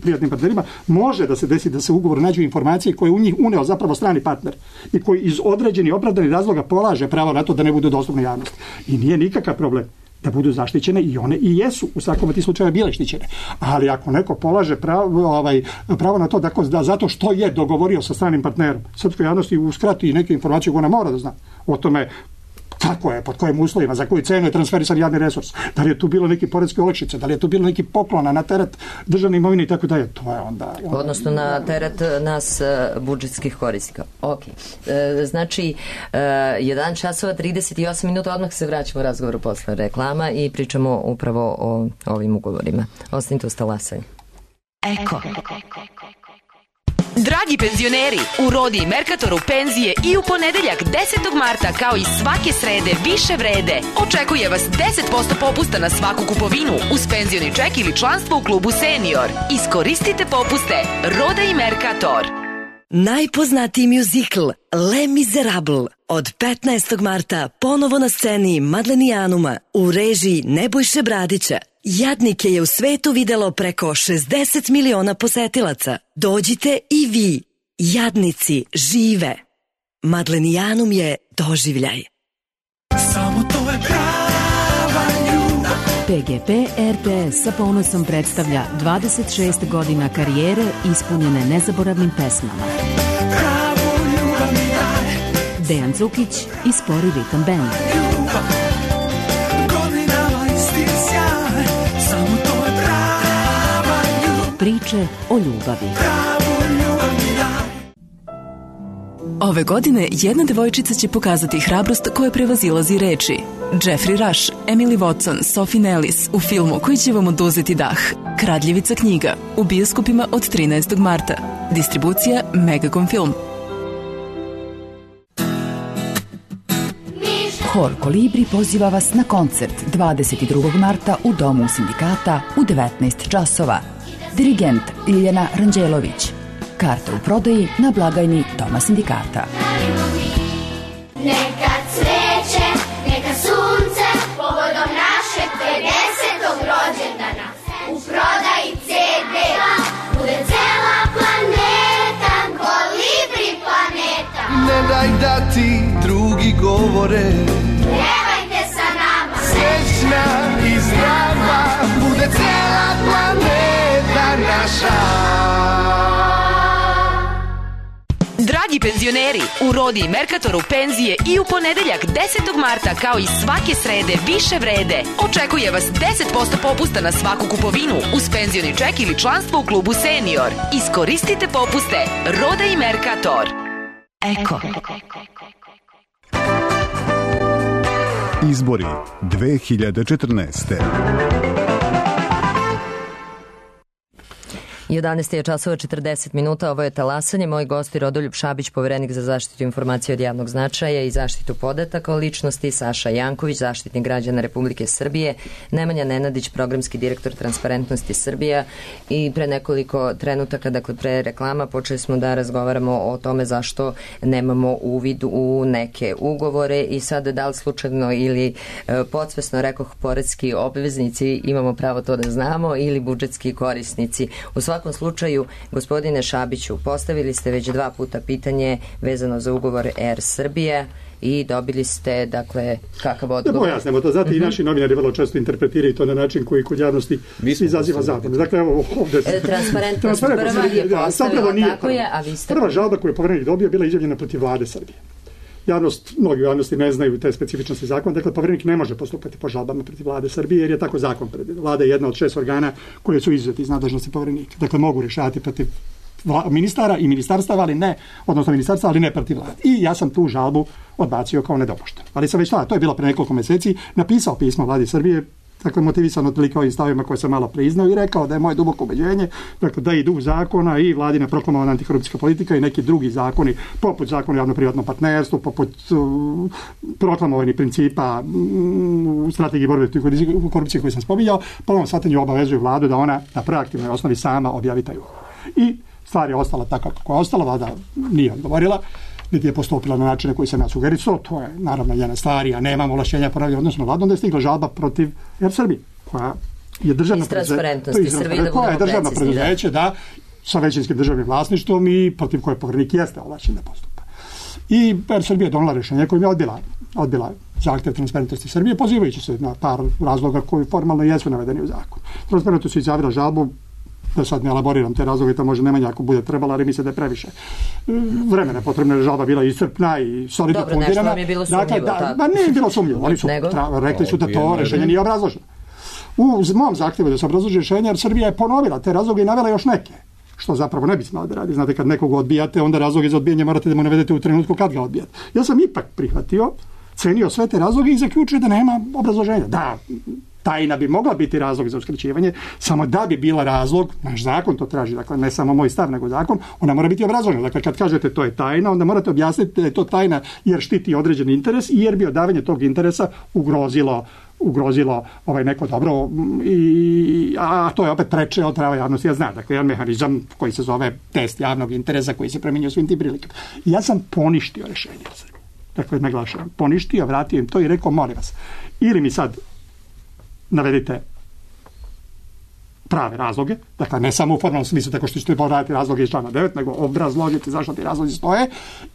privatnim partnerima, može da se desi da se u ugovoru nađu informacije koje u njih uneo zapravo strani partner i koji iz određenih opravdanih razloga polaže pravo na to da ne budu dostupne javnosti. I nije nikakav problem da budu zaštićene i one i jesu u svakom od tih slučajeva bile štićene. Ali ako neko polaže pravo, ovaj, pravo na to da, da zato što je dogovorio sa stranim partnerom, srpskoj javnosti uskrati neke informacije koje ona mora da zna o tome kako je, pod kojim uslovima, za koju cenu je transferisan javni resurs, da li je tu bilo neki poreske olakšice, da li je tu bilo neki poklona na teret državne imovine i tako dalje, to je onda... onda odnosno na teret nas budžetskih korisnika. Ok. E, znači, e, jedan časova trideset osam minuta, odmah se vraćamo u razgovoru posle reklama i pričamo upravo o ovim ugovorima. Ostanite uz talasanjem. Eko. Dragi penzioneri, u Rodi i Merkatoru penzije i u ponedeljak desetog marta kao i svake srede više vrede. Očekuje vas deset posto popusta na svaku kupovinu uz penzioni ček ili članstvo u klubu Senior. Iskoristite popuste. Roda i Merkator. Najpoznatiji mjuzikl Les Miserables od petnaestog marta ponovo na sceni Madlenijanuma u režiji Nebojše Bradića. Jadnike je u svetu videlo preko šezdeset miliona posetilaca. Dođite i vi. Jadnici žive. Madlenijanum je doživljaj. Samo to je prava ljubav. P G P R T S sa ponosom predstavlja dvadeset šest godina karijere ispunjene nezaboravnim pesmama. Pravu ljubav mi daj. Dejan Cukić i Spori ritam band. Ljubav, godinama isti sjaj. Samo to je prava ljubav. Priče o ljubavi. Pravu ljubav mi daj. Ove godine jedna devojčica će pokazati hrabrost koja prevazilazi reči. Jeffrey Rush, Emily Watson, Sophie Nellis u filmu koji će vam oduzeti dah. Kradljivica knjiga u bioskopima od trinaestog marta. Distribucija Megacom Film. Hor Kolibri poziva vas na koncert dvadeset drugog marta u Domu sindikata u devetnaest časova. Dirigent Ljiljana Ranđelović. Karte u prodaji na blagajni Doma sindikata. Neka cveće, neka sunce, povodom našeg pedesetog rođendana. U prodaji ce de bude cela planeta, Kolibri planeta. Ne daj da ti drugi govore, Pjevajte sa nama, srećna i zdrava, bude cela planeta naša. Dragi penzioneri, u Rodi i Merkatoru penzije i u ponedeljak desetog marta kao i svake srede više vrede. Očekuje vas deset posto popusta na svaku kupovinu uz penzioni ček ili članstvo u klubu Senior. Iskoristite popuste. Roda i Merkator. Eko. Izbori dve hiljade četrnaeste. jedanaest je časova četrdeset minuta, ovo je Talasanje. Moj gost je Rodoljub Šabić, poverenik za zaštitu informacije od javnog značaja i zaštitu podataka o ličnosti, Saša Janković, zaštitnik građana Republike Srbije, Nemanja Nenadić, programski direktor Transparentnosti Srbija i pre nekoliko trenutaka, dakle pre reklama, počeli smo da razgovaramo o tome zašto nemamo uvid u neke ugovore i sad da li slučajno ili e, podsvesno rekoh poreski obveznici imamo pravo to da znamo ili budžetski korisnici. U svakom slučaju, gospodine Šabiću, postavili ste već dva puta pitanje vezano za ugovor Air Srbije i dobili ste, dakle, kakav odgovor? Da pojasnemo to, znate, uh-huh. i naši novinari vrlo često interpretiraju to na način koji kod javnosti izaziva zabunu. Dakle, evo ovde... E, transparentnost prva je postavila, tako je, a vi ste... Prva žalba koju je poverenik dobio bila izjavljena protiv vlade Srbije. Javnost, mnogi u javnosti ne znaju te specifičnosti zakona, dakle poverenik ne može postupati po žalbama protiv vlade Srbije jer je tako zakon predvidio. Vlada je jedna od šest organa koje su izuzeti iz nadležnosti poverenika. Dakle, mogu rješavati protiv vla, ministara i ministarstava, ali ne, odnosno ministarstva, ali ne protiv vlade. I ja sam tu žalbu odbacio kao nedopuštenu. Ali sam već tada, to je bilo pre nekoliko meseci, napisao pismo vladi Srbije, dakle motivisan otprilike ovim stavima koje sam malo priznao i rekao da je moje duboko ubeđenje, dakle da i duh zakona i vladina proklamovana antikorupcijska politika i neki drugi zakoni, poput zakona o javno-privatnom partnerstvu, poput uh, proklamovanih principa u um, strategiji borbe protiv korupcije koju sam spominjao, po ovom shvatanju obavezuju vladu da ona na proaktivnoj osnovi sama objavi taj ugovor. I stvar je ostala tako kako je ostala, vlada nije odgovorila, niti je postupila na način na koji sam ja sugerisao, to je naravno jedna stvar, ja nemam ovlašćenja pravila odnosno vladom, da je stigla žalba protiv Air Srbije, koja je državno preduzeće, koja je državno preduzeće, da, sa većinskim državnim vlasništvom i protiv koje poverenik jeste ovlašćen da postupa. I Air Srbija je donela rješenje kojim je odbila, odbila zahtev Transparentnosti Srbije, pozivajući se na par razloga koji formalno jesu navedeni u zakonu. Transparentnost je izjavila žalbu, da sad ne elaboriram te razloge, to može Nemanja ako bude trebalo, ali misle da je previše vremena potrebna, žalba bila iscrpna i solidno fundirana. Dobro, nešto vam je bilo sumnjivo. Dakle, da, ba, nije bilo sumnjivo, oni su tra, rekli su da to rešenje nije obrazloženo. U mom zahtjevu da se obrazloži rešenje, jer Srbija je ponovila te razloge i navela još neke, što zapravo ne bi smalo da radi. Znate, kad nekog odbijate, onda razloge za odbijanje morate da mu navedete u trenutku kad ga odbijate. Ja sam ipak prihvatio procenio sve te razloge i zaključio da nema obrazloženja. Da, tajna bi mogla biti razlog za uskraćivanje, samo da bi bila razlog, naš zakon to traži, dakle ne samo moj stav, nego zakon, ona mora biti obrazložena. Dakle, kad kažete to je tajna, onda morate objasniti da je to tajna jer štiti određeni interes i jer bi odavanje tog interesa ugrozilo ugrozilo ovaj neko dobro, i, a to je opet preče od prava javnosti. Ja znam, dakle, jedan mehanizam koji se zove test javnog interesa koji se primjenjuje u svim tim prilikama. Ja sam poništio rešenje. Dakle, naglašavam, poništio, vratio im to i rekao, molim vas, ili mi sad navedite prave razloge, dakle ne samo u formalnom smislu tako što ćete povratiti razloge iz člana devet, nego obrazložiti zašto ti razlozi stoje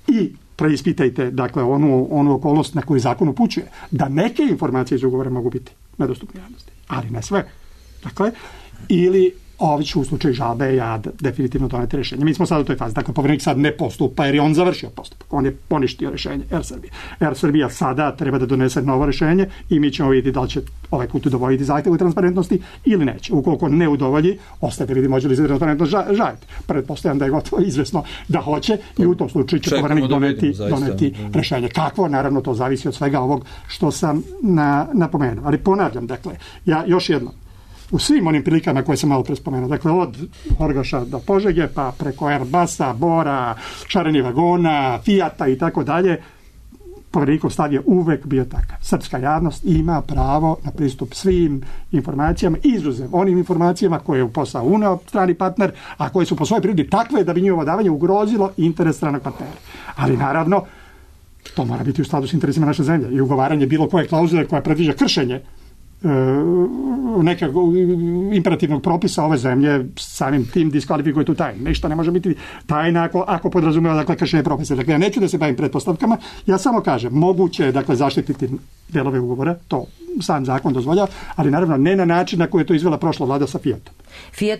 i preispitajte, dakle, onu, onu okolnost na koju zakon upućuje, da neke informacije iz ugovora mogu biti nedostupne javnosti, ali ne sve. Dakle, ili ovi ću u slučaju žalbe ja definitivno doneti rješenje. Mi smo sad u toj fazi. Dakle, povjerenik sad ne postupa jer je on završio postupak. On je poništio rješenje Air Srbije. Air Srbija sada treba da donese novo rješenje i mi ćemo vidjeti da li će ovaj put udovoljiti zahtjevu transparentnosti ili neće. Ukoliko ne udovolji, ostaje da vidimo može li se transparentnost žaliti. Pretpostavljam da je gotovo izvesno da hoće i u tom slučaju će povjerenik doneti, doneti rješenje. Kakvo? Naravno, to zavisi od svega ovog što sam na, napomenuo. Ali ponavljam, dakle, ja još jednom, u svim onim prilikama koje sam malo pre spomenuo, dakle od Horgoša do Požege, pa preko Airbusa, Bora, šarenih vagona, Fijata i tako dalje, povjerenikov stav je uvek bio takav. Srpska javnost ima pravo na pristup svim informacijama, izuzev onim informacijama koje je u posao uneo strani partner, a koje su po svojoj prirodi takve da bi njihovo davanje ugrozilo interes stranog partnera. Ali naravno, to mora biti u skladu s interesima naše zemlje i ugovaranje bilo koje klauzule koja predviđa kršenje nekog imperativnog propisa ove zemlje samim tim diskvalifikuje tu tajnu. Ništa ne može biti tajna ako, ako podrazumijeva, dakle, kršenje propisa. Dakle, ja neću da se bavim pretpostavkama, ja samo kažem, moguće je, dakle, zaštititi delove ugovora, to sam zakon dozvoljava, ali naravno ne na način na koji je to izvela prošla vlada sa Fijatom. Fiat,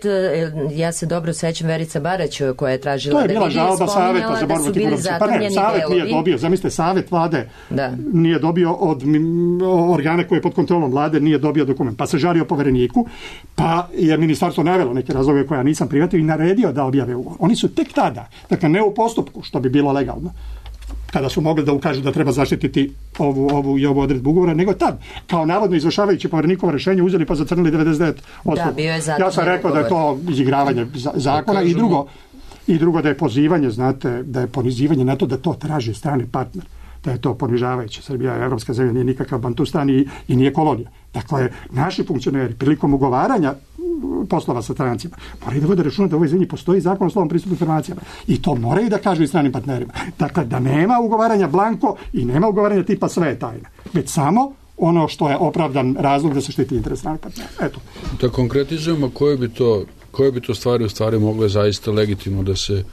ja se dobro sećam, Verica Barać koja je tražila to je bila da žalba saveta za borbu protiv korupcije. Pa ne, savet nije dobio, zamislite, savet vlade da. nije dobio od organa koje je pod kontrolom vlade, nije dobio dokument. Pa se žalio povereniku, pa je ministarstvo navelo neke razloge koje ja nisam prihvatio i naredio da objave ugovor. Oni su tek tada, dakle ne u postupku, što bi bilo legalno, kada su mogli da ukažu da treba zaštititi ovu, ovu i ovu odredbu ugovora, nego tad, kao navodno izvršavajući povjerenikovo rješenje, uzeli pa zacrnili devedeset devet posto. Da, bio je ja sam rekao da je to izigravanje zakona i drugo, i drugo da je pozivanje, znate, da je ponizivanje na to da to traži strani partner, da je to ponižavajuće. Srbija je evropska zemlja, nije nikakav bantustan i, i nije kolonija. Dakle, naši funkcioneri prilikom ugovaranja poslova sa strancima moraju da vode računa da u ovoj zemlji postoji zakon o slobodnom pristupu informacijama i to moraju da kažu i stranim partnerima. Dakle, da nema ugovaranja blanko i nema ugovaranja tipa sve je tajna, već samo ono što je opravdan razlog da se štiti interes stranih partnera. Eto. Da konkretizujemo koje bi to, koje bi to stvari u stvari mogle zaista legitimno da se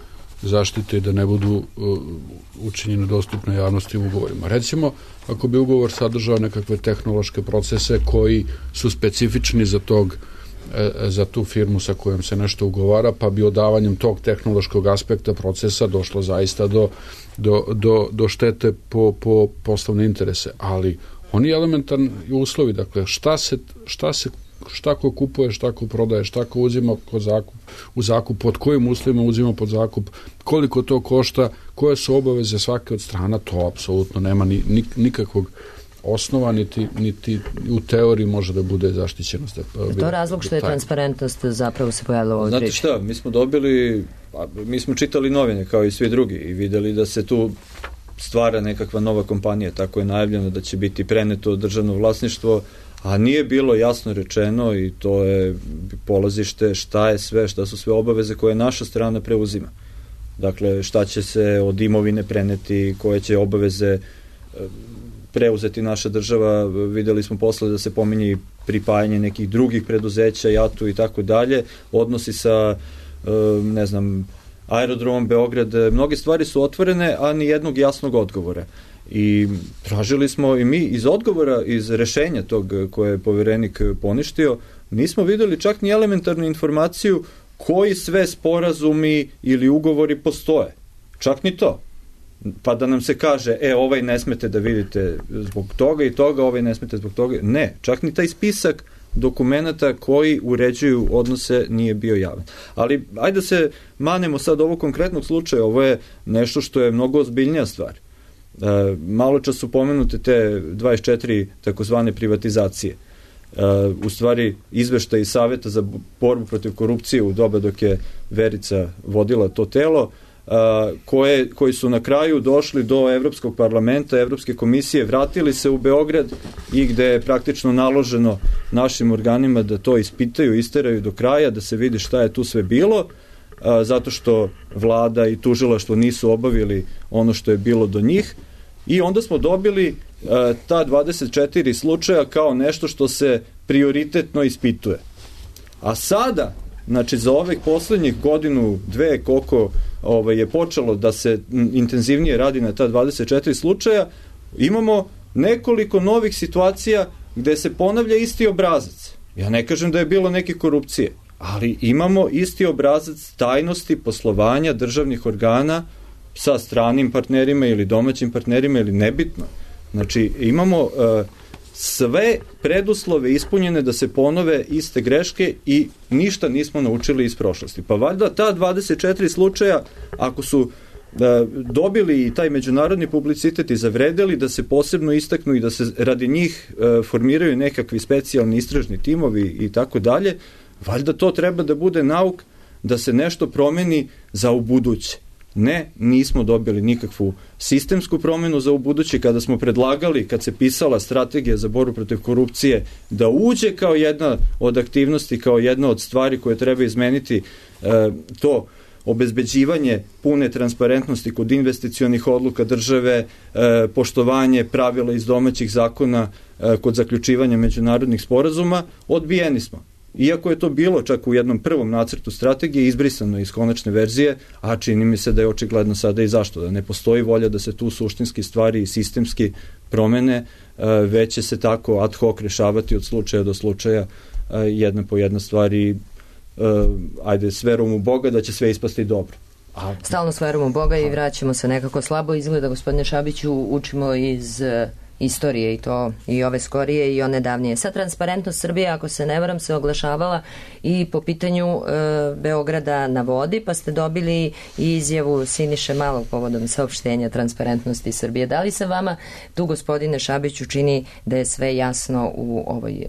zaštite i da ne budu uh, učinjene dostupne javnosti u ugovorima. Recimo, ako bi ugovor sadržao nekakve tehnološke procese koji su specifični za tog za tu firmu sa kojom se nešto ugovara, pa bi odavanjem tog tehnološkog aspekta procesa došlo zaista do, do, do, do štete po, po poslovne interese. Ali oni elementarni uslovi, dakle, šta se, šta se šta ko kupuje, šta ko prodaje, šta ko uzima kod zakup, u zakup, pod kojim uslovima uzima pod zakup, koliko to košta, koje su obaveze svake od strana, to apsolutno nema ni, ni, nikakvog osnova, niti, niti u teoriji može da bude zaštićenost. Je to razlog što je transparentnost zapravo se pojavila u ovoj Znate priči? šta, mi smo dobili, mi smo čitali novine kao i svi drugi i videli da se tu stvara nekakva nova kompanija, tako je najavljeno da će biti preneto državno vlasništvo, a nije bilo jasno rečeno i to je polazište šta je sve, šta su sve obaveze koje naša strana preuzima. Dakle, šta će se od imovine preneti, koje će obaveze preuzeti naša država, videli smo posle da se pominje pripajanje nekih drugih preduzeća, JAT-u i tako dalje, odnosi sa, ne znam, aerodromom Beograd, mnoge stvari su otvorene, a ni jednog jasnog odgovora. I tražili smo i mi iz odgovora, iz rešenja tog koje je povjerenik poništio, nismo videli čak ni elementarnu informaciju koji sve sporazumi ili ugovori postoje. Čak ni to. Pa da nam se kaže, e, ovaj ne smete da vidite zbog toga i toga, ovaj ne smete zbog toga. Ne, čak ni taj spisak dokumenata koji uređuju odnose nije bio javan. Ali, ajde da se manemo sad ovog konkretnog slučaja, ovo je nešto što je mnogo ozbiljnija stvar. malo čas su pomenute te dvadeset četiri takozvane privatizacije. U stvari izveštaj iz Saveta za borbu protiv korupcije u doba dok je Verica vodila to telo, koje, koji su na kraju došli do Evropskog parlamenta, Evropske komisije, vratili se u Beograd i gde je praktično naloženo našim organima da to ispitaju, isteraju do kraja, da se vidi šta je tu sve bilo, zato što vlada i tužilaštvo nisu obavili ono što je bilo do njih, i onda smo dobili ta dvadeset četiri slučaja kao nešto što se prioritetno ispituje. A sada, znači za ovih poslednjih godinu, dve, koliko ovaj, je počelo da se intenzivnije radi na ta dvadeset četiri slučaja, imamo nekoliko novih situacija gde se ponavlja isti obrazac. Ja ne kažem da je bilo neke korupcije, ali imamo isti obrazac tajnosti poslovanja državnih organa sa stranim partnerima ili domaćim partnerima ili nebitno. Znači imamo uh, sve preduslove ispunjene da se ponove iste greške i ništa nismo naučili iz prošlosti. Pa valjda ta dvadeset četiri slučaja, ako su da, dobili i taj međunarodni publicitet i zavredeli da se posebno istaknu i da se radi njih e, formiraju nekakvi specijalni istražni timovi i tako dalje, valjda to treba da bude nauk da se nešto promeni za ubuduće. Ne, nismo dobili nikakvu sistemsku promenu za ubuduće. Kada smo predlagali, kad se pisala strategija za borbu protiv korupcije, da uđe kao jedna od aktivnosti, kao jedna od stvari koje treba izmeniti, e, to obezbeđivanje pune transparentnosti kod investicionih odluka države, e, poštovanje pravila iz domaćih zakona e, kod zaključivanja međunarodnih sporazuma, odbijeni smo. Iako je to bilo čak u jednom prvom nacrtu strategije izbrisano iz konačne verzije, a čini mi se da je očigledno sada i zašto, da ne postoji volja da se tu suštinski stvari i sistemski promene, već će se tako ad hoc rešavati od slučaja do slučaja, jedna po jedna stvari, ajde, s verom u Boga da će sve ispasti dobro. A... Stalno s verom u Boga i vraćamo se nekako slabo. Izgleda, gospodine Šabiću, učimo iz istorije i to i ove skorije i one davnije. Sad Transparentnost Srbije, ako se ne varam, se oglašavala i po pitanju e, Beograda na vodi, pa ste dobili i izjavu Siniše Malog povodom saopštenja Transparentnosti Srbije. Da li se vama tu, gospodine Šabiću, čini da je sve jasno u ovoj e,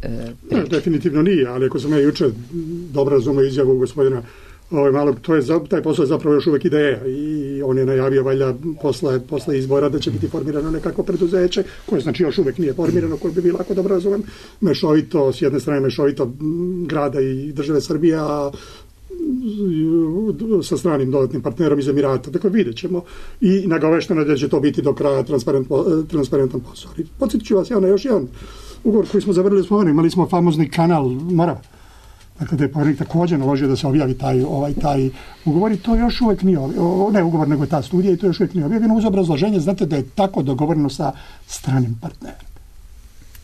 priči? Ne, definitivno nije, ali ako sam ja juče dobro razumio izjavu gospodina Ovo, malo, to je, taj posao je zapravo još uvek ideja i on je najavio valjda posle, posle izbora da će biti formirano nekako preduzeće koje znači još uvek nije formirano, koje bi bilo, ako dobro razumem, mešovito, s jedne strane mešovito grada i države Srbije, a sa stranim dodatnim partnerom iz Emirata. Dakle, vidjet ćemo i nagovešteno da će to biti do kraja transparent, transparentan posao. Podsjetit ću vas ja na još jedan ugovor koji smo zavrli s Moravom. Imali smo famozni kanal Morava. Dakle, da je poverenik također naložio da se objavi taj, ovaj, taj ugovor i to još uvijek nije, ne ugovor, nego je ta studija i to još uvijek nije objavljeno uz obrazloženje, znate da je tako dogovoreno sa stranim partnerom.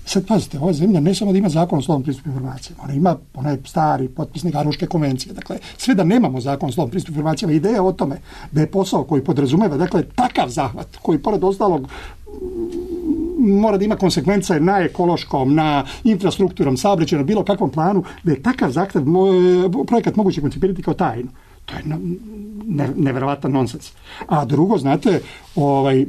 Sad pazite, ova zemlja ne samo da ima zakon o slobodnom pristupu informacijama, ona ima onaj stari potpisnik Aruške konvencije. Dakle, sve da nemamo zakon o slobodnom pristupu informacijama, ideja o tome da je posao koji podrazumeva, dakle, takav zahvat koji pored ostalog mora da ima konsekvence na ekološkom, na infrastrukturom, saobraćajnom, bilo kakvom planu, da je takav zahtev, projekat moguće koncipirati kao tajnu. To je ne, neverovatan nonsens. A drugo, znate, ovaj,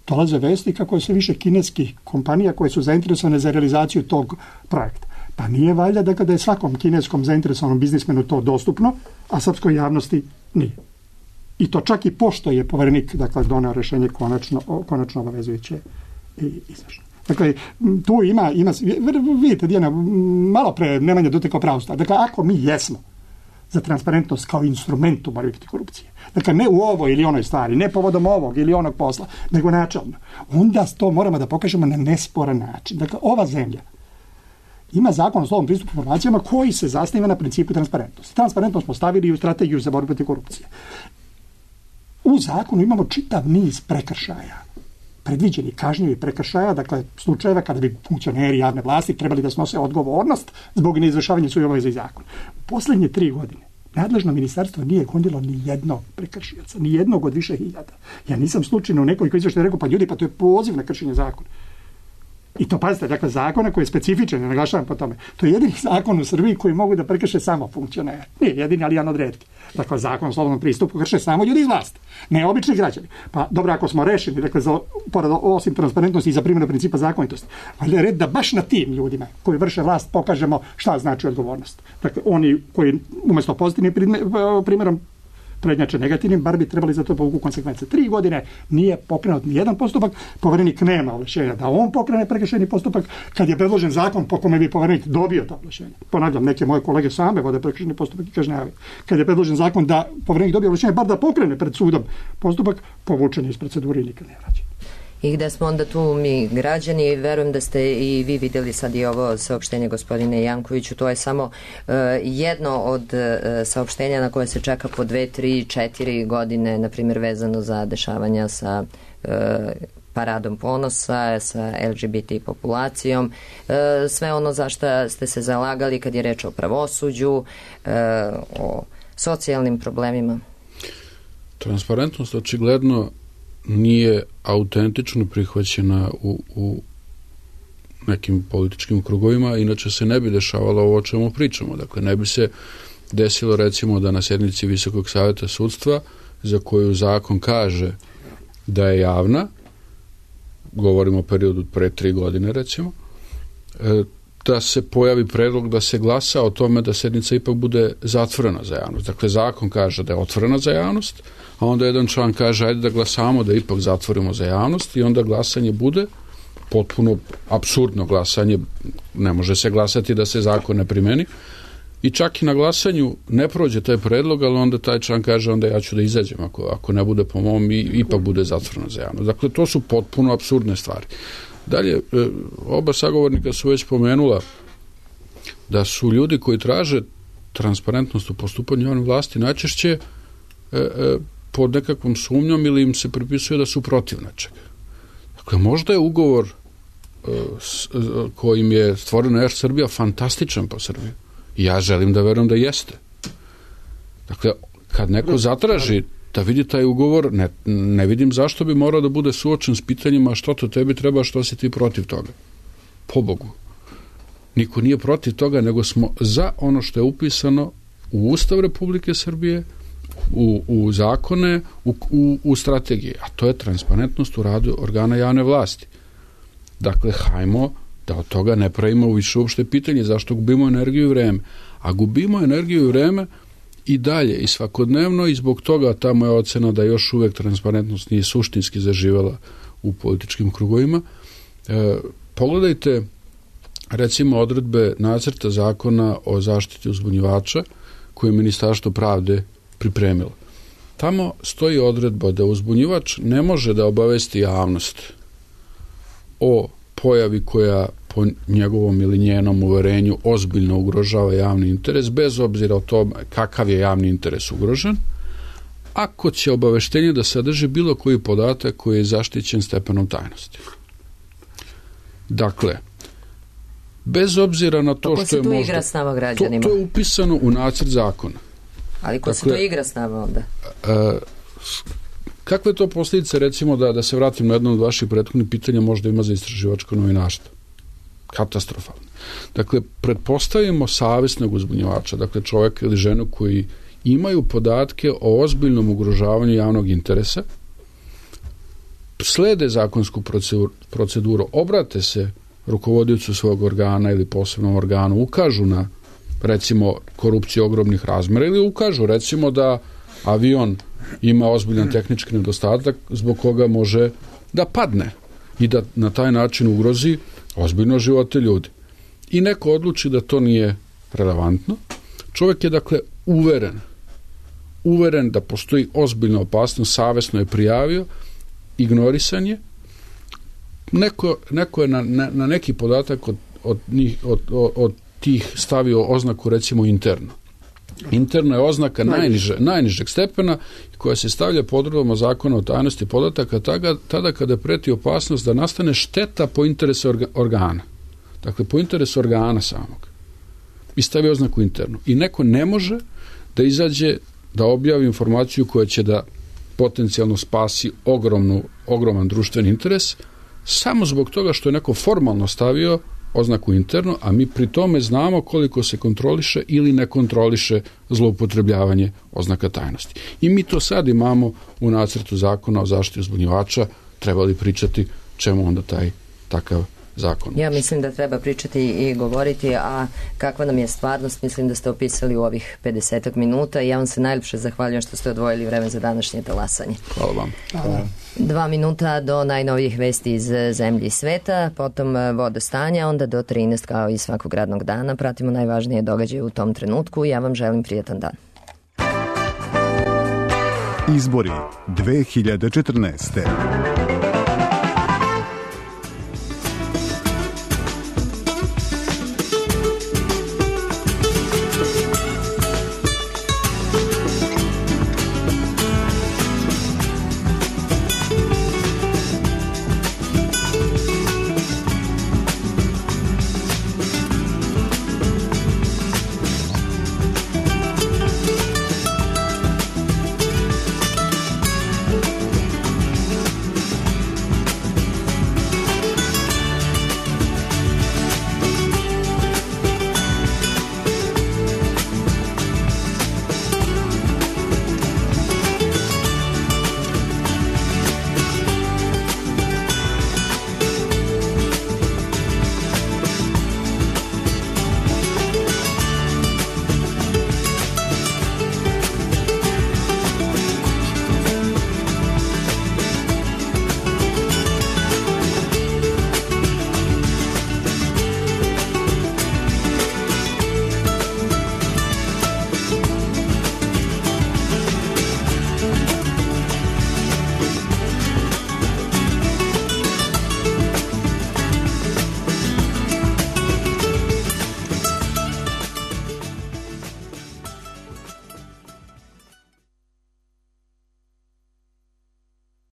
dolaze vesti kako je sve više kineskih kompanija koje su zainteresovane za realizaciju tog projekta. Pa nije valjda da kada je svakom kineskom zainteresovanom biznismenu to dostupno, a srpskoj javnosti nije. I to čak i pošto je poverenik, dakle, doneo rešenje konačno, konačno obavezujuće i izvršno. Dakle, tu ima, ima vidite, Dijana, malo pre Nemanja dotekao pravu stvar. Dakle, ako mi jesmo za transparentnost kao instrument u borbi protiv korupcije, dakle, ne u ovoj ili onoj stvari, ne povodom ovog ili onog posla, nego načelno, onda to moramo da pokažemo na nesporan način. Dakle, ova zemlja ima zakon o slobodnom pristupu informacijama koji se zasniva na principu transparentnosti. Transparentnost smo stavili u strategiju za borbu protiv korupcije. U zakonu imamo čitav niz prekršaja, predviđeni kažnjivi prekršaja, dakle slučajeva kada bi funkcioneri javne vlasti trebali da snose odgovornost zbog neizvršavanja svojih obaveza i zakona. U poslednje tri godine nadležno ministarstvo nije gondilo ni jednog prekršioca, ni jednog od više hiljada. Ja nisam slučajno u nekoliko izveštaja rekao, pa ljudi, pa to je poziv na kršenje zakona. I to, pazite, dakle, zakona koji je specifičan, ne naglašavam po tome. To je jedini zakon u Srbiji koji mogu da prekrše samo funkcionere. Nije jedini, ali jedan od retki. Dakle, zakon o slobodnom pristupu krše samo ljudi iz vlasti, ne obični građani. Pa dobro, ako smo rešeni, dakle, za, pored, osim transparentnosti i za primjenu principa zakonitosti, ali je red da baš na tim ljudima koji vrše vlast pokažemo šta znači odgovornost. Dakle, oni koji umjesto pozitivnim primjerom prednjače negativnim, bar bi trebali za to povuku konsekvence. Tri godine nije pokrenut ni jedan postupak, poverenik nema ovlašćenja da on pokrene prekršajni postupak, kad je predložen zakon po kome bi poverenik dobio to ovlašćenje. Ponavljam, neke moje kolege same vode prekršajni postupak i kažnjavaju. Kad je predložen zakon da poverenik dobije ovlašćenje, bar da pokrene pred sudom postupak, povučen je iz procedure i nikad ne vraća. I gde smo onda tu mi građani, verujem da ste i vi vidjeli sad i ovo saopštenje gospodine Jankoviću, to je samo uh, jedno od uh, saopštenja na koje se čeka po dve, tri, četiri godine, na primjer vezano za dešavanja sa uh, paradom ponosa, sa L G B T populacijom, uh, sve ono za šta ste se zalagali kad je reč o pravosuđu, uh, o socijalnim problemima. Transparentnost očigledno nije autentično prihvaćena u, u nekim političkim krugovima, inače se ne bi dešavalo ovo o čemu pričamo. Dakle, ne bi se desilo recimo da na sjednici Visokog savjeta sudstva, za koju zakon kaže da je javna, govorimo o periodu pre tri godine recimo, da se pojavi predlog da se glasa o tome da sjednica ipak bude zatvorena za javnost. Dakle, zakon kaže da je otvorena za javnost, a onda jedan član kaže ajde da glasamo da ipak zatvorimo za javnost i onda glasanje bude potpuno apsurdno glasanje, ne može se glasati da se zakon ne primeni i čak i na glasanju ne prođe taj predlog, ali onda taj član kaže onda ja ću da izađem ako, ako ne bude po mom i ipak bude zatvoreno za javnost. Dakle, to su potpuno apsurdne stvari. Dalje, oba sagovornika su već pomenula da su ljudi koji traže transparentnost u postupanju javne vlasti najčešće e, e, pod nekakvom sumnjom ili im se pripisuje da su protiv nečega. Dakle, možda je ugovor e, s, kojim je stvorena Er Srbija fantastičan po Srbiju. I ja želim da verujem da jeste. Dakle, kad neko zatraži da vidi taj ugovor, ne, ne vidim zašto bi morao da bude suočen s pitanjima što to tebi treba, što si ti protiv toga. Po Bogu. Niko nije protiv toga, nego smo za ono što je upisano u Ustav Republike Srbije, u, u zakone, u, u, u strategije. A to je transparentnost u radu organa javne vlasti. Dakle, hajmo da od toga ne pravimo više uopšte pitanje zašto gubimo energiju i vreme. A gubimo energiju i vreme i dalje i svakodnevno i zbog toga ta moja ocena da još uvek transparentnost nije suštinski zaživela u političkim krugovima. E, pogledajte recimo odredbe nacrta zakona o zaštiti uzbunjivača koje je Ministarstvo pravde pripremilo. Tamo stoji odredba da uzbunjivač ne može da obavesti javnost o pojavi koja po njegovom ili njenom uverenju ozbiljno ugrožava javni interes, bez obzira o tome kakav je javni interes ugrožen, ako će obaveštenje da sadrži bilo koji podatak koji je zaštićen stepenom tajnosti. Dakle, bez obzira na to što je možda... Ko se tu igra s nama građanima? To, to je upisano u nacrt zakona. Ali ko dakle, se to igra s nama onda? A, kakve to posljedice, recimo, da, da se vratim na jedno od vaših prethodnih pitanja, možda ima za istraživačko novinarstvo? Katastrofalno. Dakle, pretpostavimo savjesnog uzbunjivača, dakle čovjeka ili ženu koji imaju podatke o ozbiljnom ugrožavanju javnog interesa, slede zakonsku proceduru, proceduru obrate se rukovodiocu svog organa ili posebnom organu, ukažu na, recimo, korupciju ogromnih razmera ili ukažu, recimo, da avion ima ozbiljan tehnički nedostatak zbog koga može da padne i da na taj način ugrozi ozbiljno živote ljudi. I neko odluči da to nije relevantno. Čovjek je, dakle, uveren, uveren da postoji ozbiljna opasnost, savjesno je prijavio, ignorisan je. Neko, neko je na, na, na neki podatak od, od, njih, od, od, od tih stavio oznaku, recimo, interno. Interna je oznaka najniže, najnižeg stepena koja se stavlja pod odredbama zakona o tajnosti podataka tada, tada kada preti opasnost da nastane šteta po interesu orga, organa. Dakle, po interesu organa samog. I stavi oznaku internu. I neko ne može da izađe da objavi informaciju koja će da potencijalno spasi ogromnu, ogroman društveni interes samo zbog toga što je neko formalno stavio oznaku interno, a mi pri tome znamo koliko se kontroliše ili ne kontroliše zloupotrebljavanje oznaka tajnosti. I mi to sad imamo u nacrtu zakona o zaštiti uzbunjivača, trebali pričati čemu onda taj takav zakon. Ja mislim da treba pričati i govoriti, a kakva nam je stvarnost, mislim da ste opisali u ovih pedesetak minuta i ja vam se najljepše zahvaljujem što ste odvojili vreme za današnje talasanje. Hvala vam. Hvala. Dva minuta do najnovijih vesti iz zemlje i sveta, potom vodostanja, onda do trinaest kao i svakog radnog dana. Pratimo najvažnije događaje u tom trenutku i ja vam želim prijatan dan. Izbori dve hiljade četrnaeste.